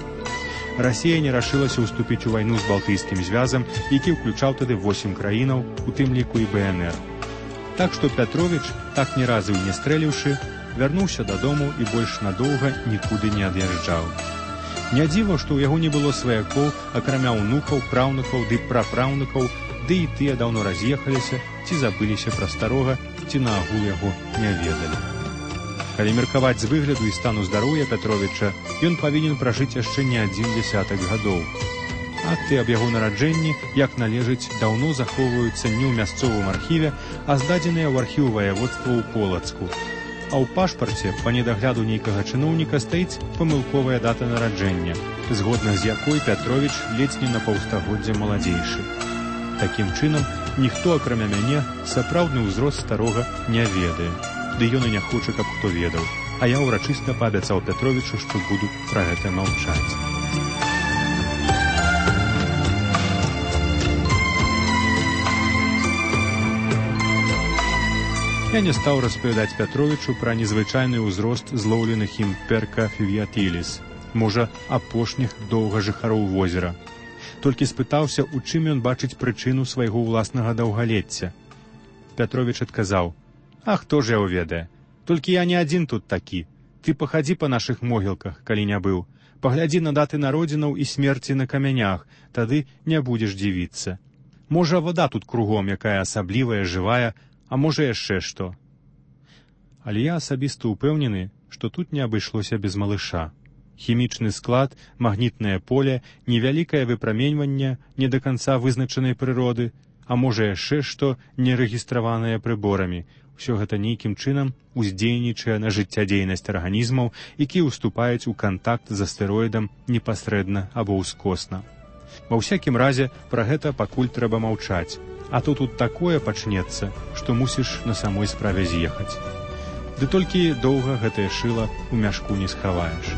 Расія не рашылася ўступіць у вайну з Балтыйскім звязам, які ўключаў тады 8 краінаў, у тым ліку і БНР. Так што Пятровіч, так ні разу і не стрэліўшы, вярнуўся дадому і больш надоўга нікуды не ад'язджаў. Не дзіва, што ў яго не было сваякоў, акрамя ўнукаў, праўнукаў ды прапраўнукаў, ды і тыя даўно раз'ехаліся, ці забыліся пра старога, ці наагул яго не ведалі. Калі меркаваць з выгляду і стану здароўя Пятровіча, ён павінен пражыць яшчэ не 1 десятак гадоў. Акты аб яго нараджэнні, як належыць, даўно захоўваюцца не ў мясцовым архіве, а здадзеныя ў архіў ваяводства ў Полацку. А ў пашпарце, па недагляду нейкага чыноўніка, стаіць памылковая дата нараджэння, згодна з якой Пятровіч ледзь не на паўстагоддзя маладзейшы. Такім чынам, ніхто, акрамя мяне, сапраўдны ўзрост старога не ведае. Ды ён і не хоча, каб хто ведаў. А я ўрачыста паабяцаў Пятровічу, што буду пра гэта маўчаць. Я не стаў распавядаць Пятровічу пра незвычайны ўзрост злоўленых ім перка фівіятыліс, можа, апошніх доўгажыхароў возера. Толькі спытаўся, у чым ён бачыць прычыну свайго ўласнага даўгалецця. Пятровіч адказаў: «А хто ж яго ведае? Толькі я не адзін тут такі. Ты пахадзі па нашых могілках, калі не быў. Паглядзі на даты народзінаў і смерці на камянях, тады не будзеш дзівіцца. Можа, вада тут кругом, якая асаблівая, жывая, а можа яшчэ што. Але я асабіста ўпэўнены, што тут не абышлося без малыша. Хімічны склад, магнітнае поле, невялікае выпраменьванне не да канца вызначанай прыроды, а можа яшчэ што нерэгістраванае прыборамі. Усё гэта нейкім чынам уздзейнічае на жыццядзейнасць арганізмаў, якія ўступаюць у кантакт з астэроідам непасрэдна або ўскосна. Ва ўсякім разе пра гэта пакуль трэба маўчаць, а то тут такое пачнецца, што мусіш на самой справе з'ехаць. Ды толькі доўга гэтае шыла ў мяшку не схаваеш.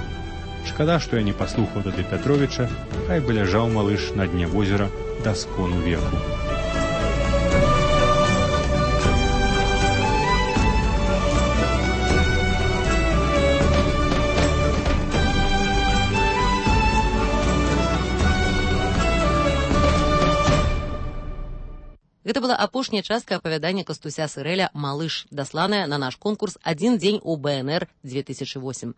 Шкада, што я не паслухаў тады Пятровіча, хай бы ляжаў малыш на дне возера да скону веку. Гэта была апошняя частка апавядання Кастуся Сырэля «Малыш», дасланая на наш конкурс «Адзін дзень у БНР-2008».